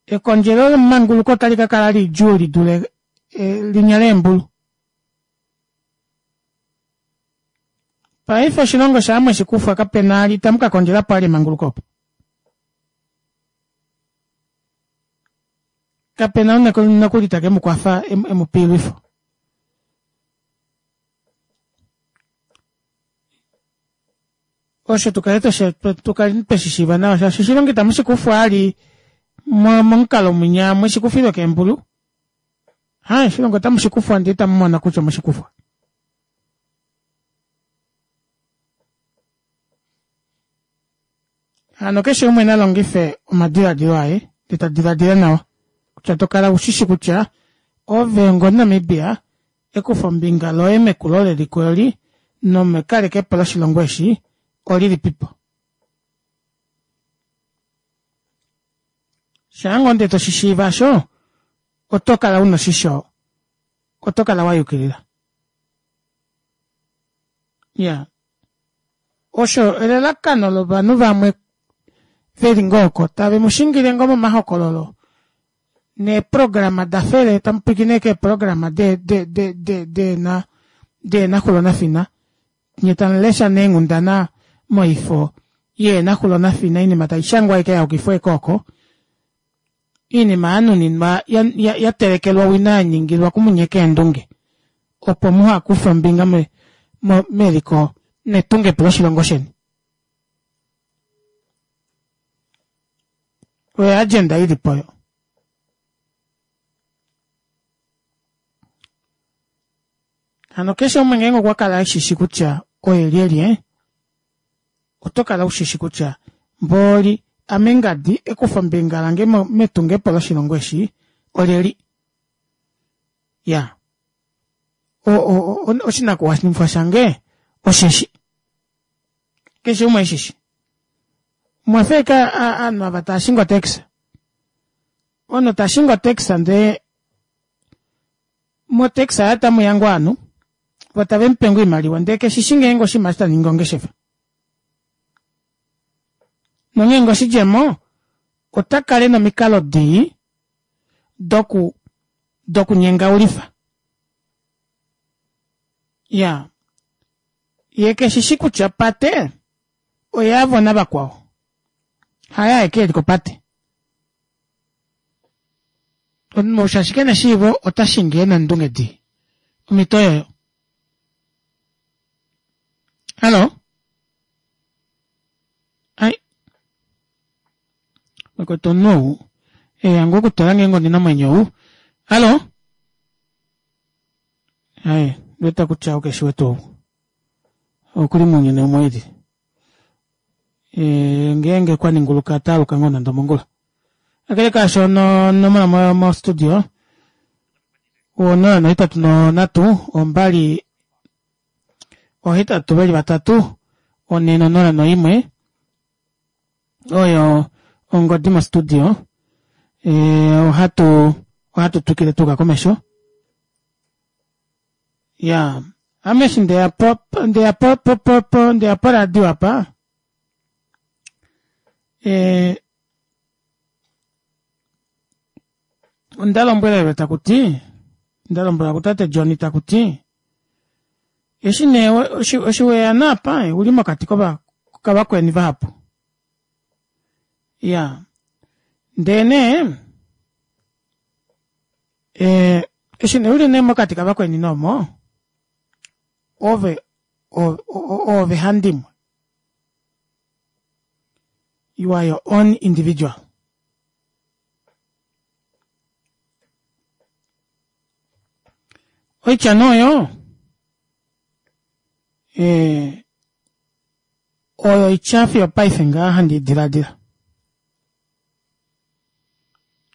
ekondjelo lomanguluko otali ka kala lidjuu li dule eh, linya leembulu. Paife oshilongo shaa mweshikufwa kapena itamu ka kondjela po ali emanguluko opo. Kape na nokuli take mu kwafa e mu pe oilwifo. Osho tu kale tu kale twe shi shiiva nawa shaashi oshilongo itamu shi kufwa ali momukalo mwinya mwe shi kufilwe keembulu. Ha, oshilongo otamu shi kufwa ndee itamu mona kutya omwe shi kufwa. Hano keshe umwe na longife omadiladilo aye ndee ta diladila nawa kutya to kala ushishi kutya ove ongomunamibia ekufombinga loye mekulo leliko eli nomekalekepo loshilongo eshi olilipipo. Shaa ngoo ndee toshi shiiva osho oto kala una oshisho oto kala wa yukilila. Ya osho elalakano lovanhu vamwe veli ngoo oko tave mu shingile ngoo momahokololo neeprograma da fele tamu pwilikine keeprograma de de de de deena deena xulo nafina nye tamu lesha neenghundana moifo yeena xulo nafina oinima tai shangwa aike ya yukifwa ashike oko Iinima ya nuninwa ya telekelwa owina ya ningilwa kumunyeka eendunge opo muha kufe ombinga meliko netungepo loshilongo sheni. Oyo agenda ili po yo. Hano keshe umwe ngeenge okwa kala eshishi kutya oye lyelye, oto kala ushishi kutya mbooli ame ngadi ekufombinga lange metungepo loshilongo eshi oleli. Ya. Oshinakuwanifwa shange osheshi. Keshe umwe eshishi. Omwa fa ovanhu ava tava shingi otaxi. Omunhu ta shingi otaxi ndee motaxi yaye otamuya ngoo ovanhu vo tave mupe ngoo oimaliwa ndee keshishi ngeenge oshinima eshi taningi ongeshefa. Nonghee ngee oshidjemo ota kala ena omikalo dii doku dokunyengaulifa. Iyaa, ye keshishi kutya opate oyavo navakwao, haye aeke eli kopate. Omunhu shaashi kena eshiivo ota shingi ena eendunge dii. Omhito oyoyo. Hallo? Ai. Mwekwete omunhu ou eya ngoo okutala ngeenge ondina omwenyo ou. Hallo? Ai, ndiwete kutya ou keshi wetu ou. Okuli mounyuni umwe eli. E, ngeenge kwa ninguluka ota aluka ngoo nande omongula. Kakele kaasho onomola mo, mo studio 0 83 2 8 veli vatatu 4 0 1 oyo ongodi mostudio e, ohatu ohatu twikile tuka komesho ya ame eshi ndeya po ndeya po po po, po ndeya poradio apa e, onda lombwelelwe taku ti nda lombwelwa kutate John taku ti eshi nee eshi weya naapa uli mokati kova kavakweni vahapu ya ndee nee e, eshi nee uli nee mokati kavakweni nomo ove ove handimwe you are your own individual oitya nee oyo eh, oyo oitya fiyo paife ngaa handi diladila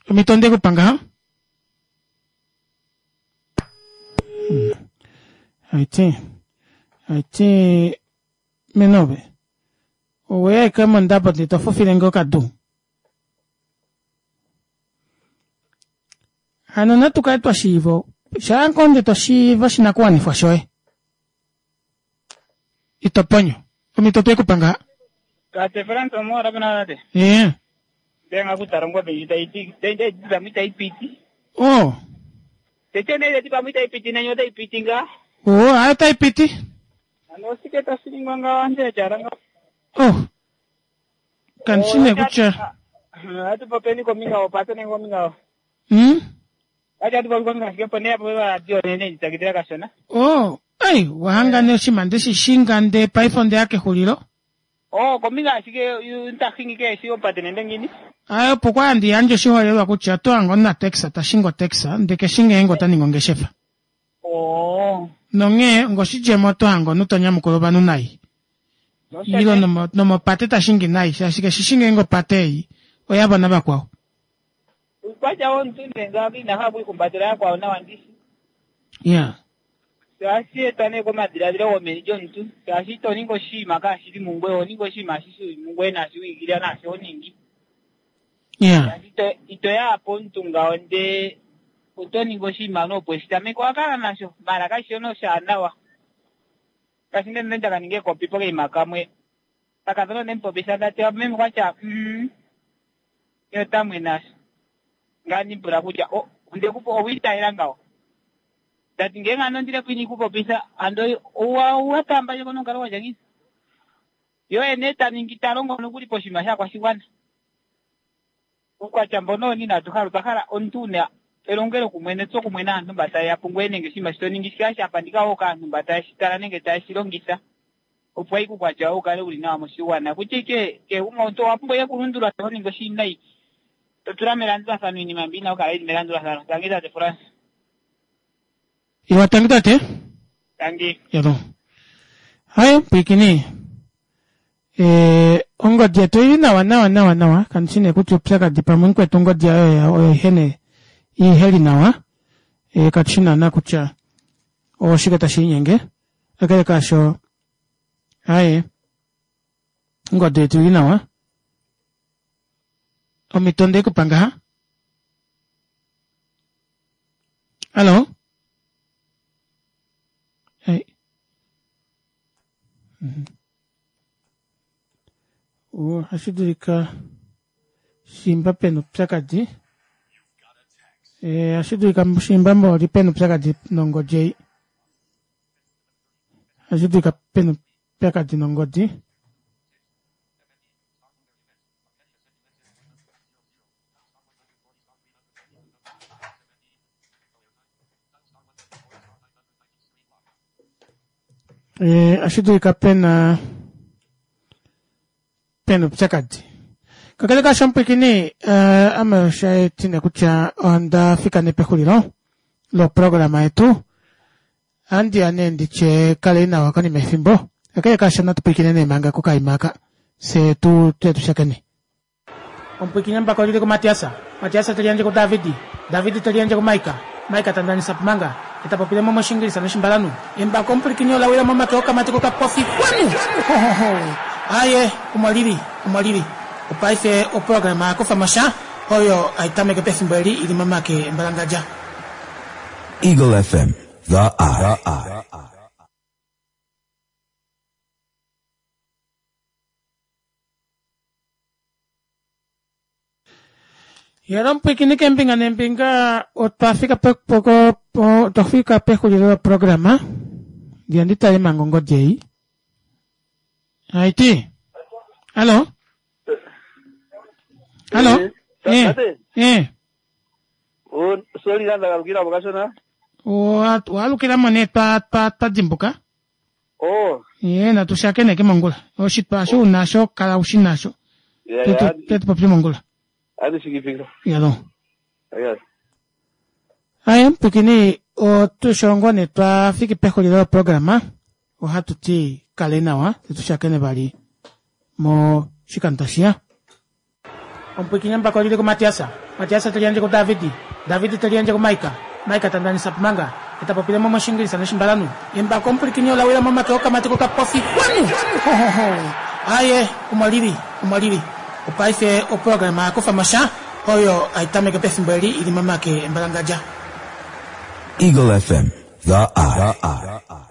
omito nde kupa ngaha hmm. aiti aiti menove oweya eke mondabo ndee to fufile nge okadu Hano natu kale twa shiiva shaa ngoo nde to shiiva oshinakuwanifwa shoye ito ponyo omhito twe ku pa ngaha. Tate Frans omuhole pena tate. Ee. Ndenga kutala ongombe ndji tayi ti tayi ti pamwe itayi piti. Oh. Tete nee tati pamwe itayi piti nanye otayi piti ngaa. Oh, hayo otayi piti. Ano osike tashi ningwa ngawo aantu ya tyala ngawo. Oh. Kandi shi nee kutya. Ohatu popeni kombinga yopate nenge kombinga Ohatu popi kombinga ashike opo nee yapopi oradio nene nditsakidila kashona. Oh, ei, wahanga nee oshinima nde shi shinga ndee paife ondeya kexulilo. Oh, kombinga ashike nta hingi keeshi opate nende ngiini. Aye, opo kwa handi yandje oshiholelwa kutya oto hange omunataxi ta shingi otaxi ndee keshi ngeenge ota ningi ongeshefa. Oh. Nonghee ngoshidjemo oto hange omunhu to nyamukula ovanhu nai. Ile nomopate ta shingi nai shaashi keshi shi ngeenge opate ei oyavo navakwao. Uukwatya womuntu nee ngaaka ina hala okwiihumbatela yakwawo nawa ndishi. Yeah. Ohashi etwa nee komadhiladhilo gomeni lyomuntu, shaashi ito ningi oshinima kaashi li mungoye, oho ningi oshinima shi shili mungoye naashi wi igilila naashi ho ningi. Yeah. Shaashi ito, ito ya pomuntu ngawo ndee oto ningi oshinima nopo weshi tameke owa kala nasho, maala kashi shi oshaanawa. Ngaashi nde nda ka ninga ekopi pokaima kamwe, kakadhona onde mu popitha ndati meme okwa tya mm. Ye ota mwena sho. Ngaye andi mu pula kutya, O, onde ku po, owi itayela ngawo? Ta ti, Ngele ando ondile po inii ku popitha, ando owa, owa taamba ndje ko nomukalo gwa tya ngiini? Ye oye nee ta ningi, ta longo nokuli poshinima shaakwashigwana. Uukwatya mbono owo inaatu hala. Otwa hala omuntu wu na elongelokumwe netsokumwe naantu mba taye ya pungoye nenge oshinima shi to ningi shi kale sha pandika wo kaantu mba taye shi tala nenge taye shi longitha. Opo ashike uukwatya woye wu kale wu li nawa moshigwana. Kutya ike kehe gumwe omuntu owa pumbwa ike okulundulula sho ho ningi oshiwinayi. To tula melandulathano iinima mbi yi na okukala yi li melandulathano. Tangi tate Frans. Iwa tangi tate. Tangi. Yalo. Haye pwiikini. Eh, ongodi yetu oili nawa nawa nawa nawa kandi shi nee kutya upyakadi pamwe mukwetu ongodi yayo oyo ihe nee iheli nawa eh, katu shi naana kutya Oshike tashi linyenge? Kakele kaasho, aye, ongodi yetu ili nawa. Omhito onde i ku pa ngaha. Hallo? Ei. Ohashi dulika shimba pena upyakadi. Eh, ohashi dulika shimba mboli pena upyakadi nongodi ei. Ohashi dulika pena upyakadi nongodi. Eh, ohashi dulika pena pena upyakadi. Kakele kaasho omupwilikini, eh, ame osha etine kutya onda fika nee pexulilo loprograma yetu. Ohandi ya nee nditye kalei nawa konima yefimbo. Kakele kaasho natu pwilikine nee manga kokaima aka, fye tu tuye tu shakene. Omupwilikini embako oli li kuMatias, Matias te liyandje kuDavid, David te liyandje kuMaika, Maika ta ndanisa Pumanga, ye ta popile mo mOshiingilisa nOshimbalanhu. Embako omupwilikini ola wila momake okamati kokapofi kwanu! Hohoho! Aaye, omo li li, omo li li. Opaife oprograma ya kufa mo sha oyo hai tameke pefimbo eli i li momake embalangadja. Eagle FM, the eye. Yela omupwiikini keembinga neembinga otwa fika otwa fika pexulilo loprograma ndiya ndi tale manga ongodi ei haiti hallo hallo Eh, eh eh Sorry, nda galukila po kashona. Waalukila mo nee twa twa twa dimbuka Oh, ye natu shakeneke mongula oshitwa osho unasho kala ushi nasho ya Tetu ya. tetu popye mongula Adi shikifika. yalo Ya. Aye, mpwikini otushongo ne twa fiki pexulilo loprograma ohatu ti kale nawa tetu shakene vali moshikando tashiya. Omupwiikini embako oli li kuMatias, Matias te liyandje kuDavid, David te liyandje kuMaika, Maika ta ndanisa Pumanga, ye ta popile mo mOshiingilisa nOshimbalanhu. Embako omupwilikini ola wila momake okamati kokapofi kwanu! Hohoho! Aaye, omo li li, omo li li. Opaife oprograma ya kufa mo sha oyo hai tameke pefimbo eli i li momake embalangadja. Eagle FM, the eye.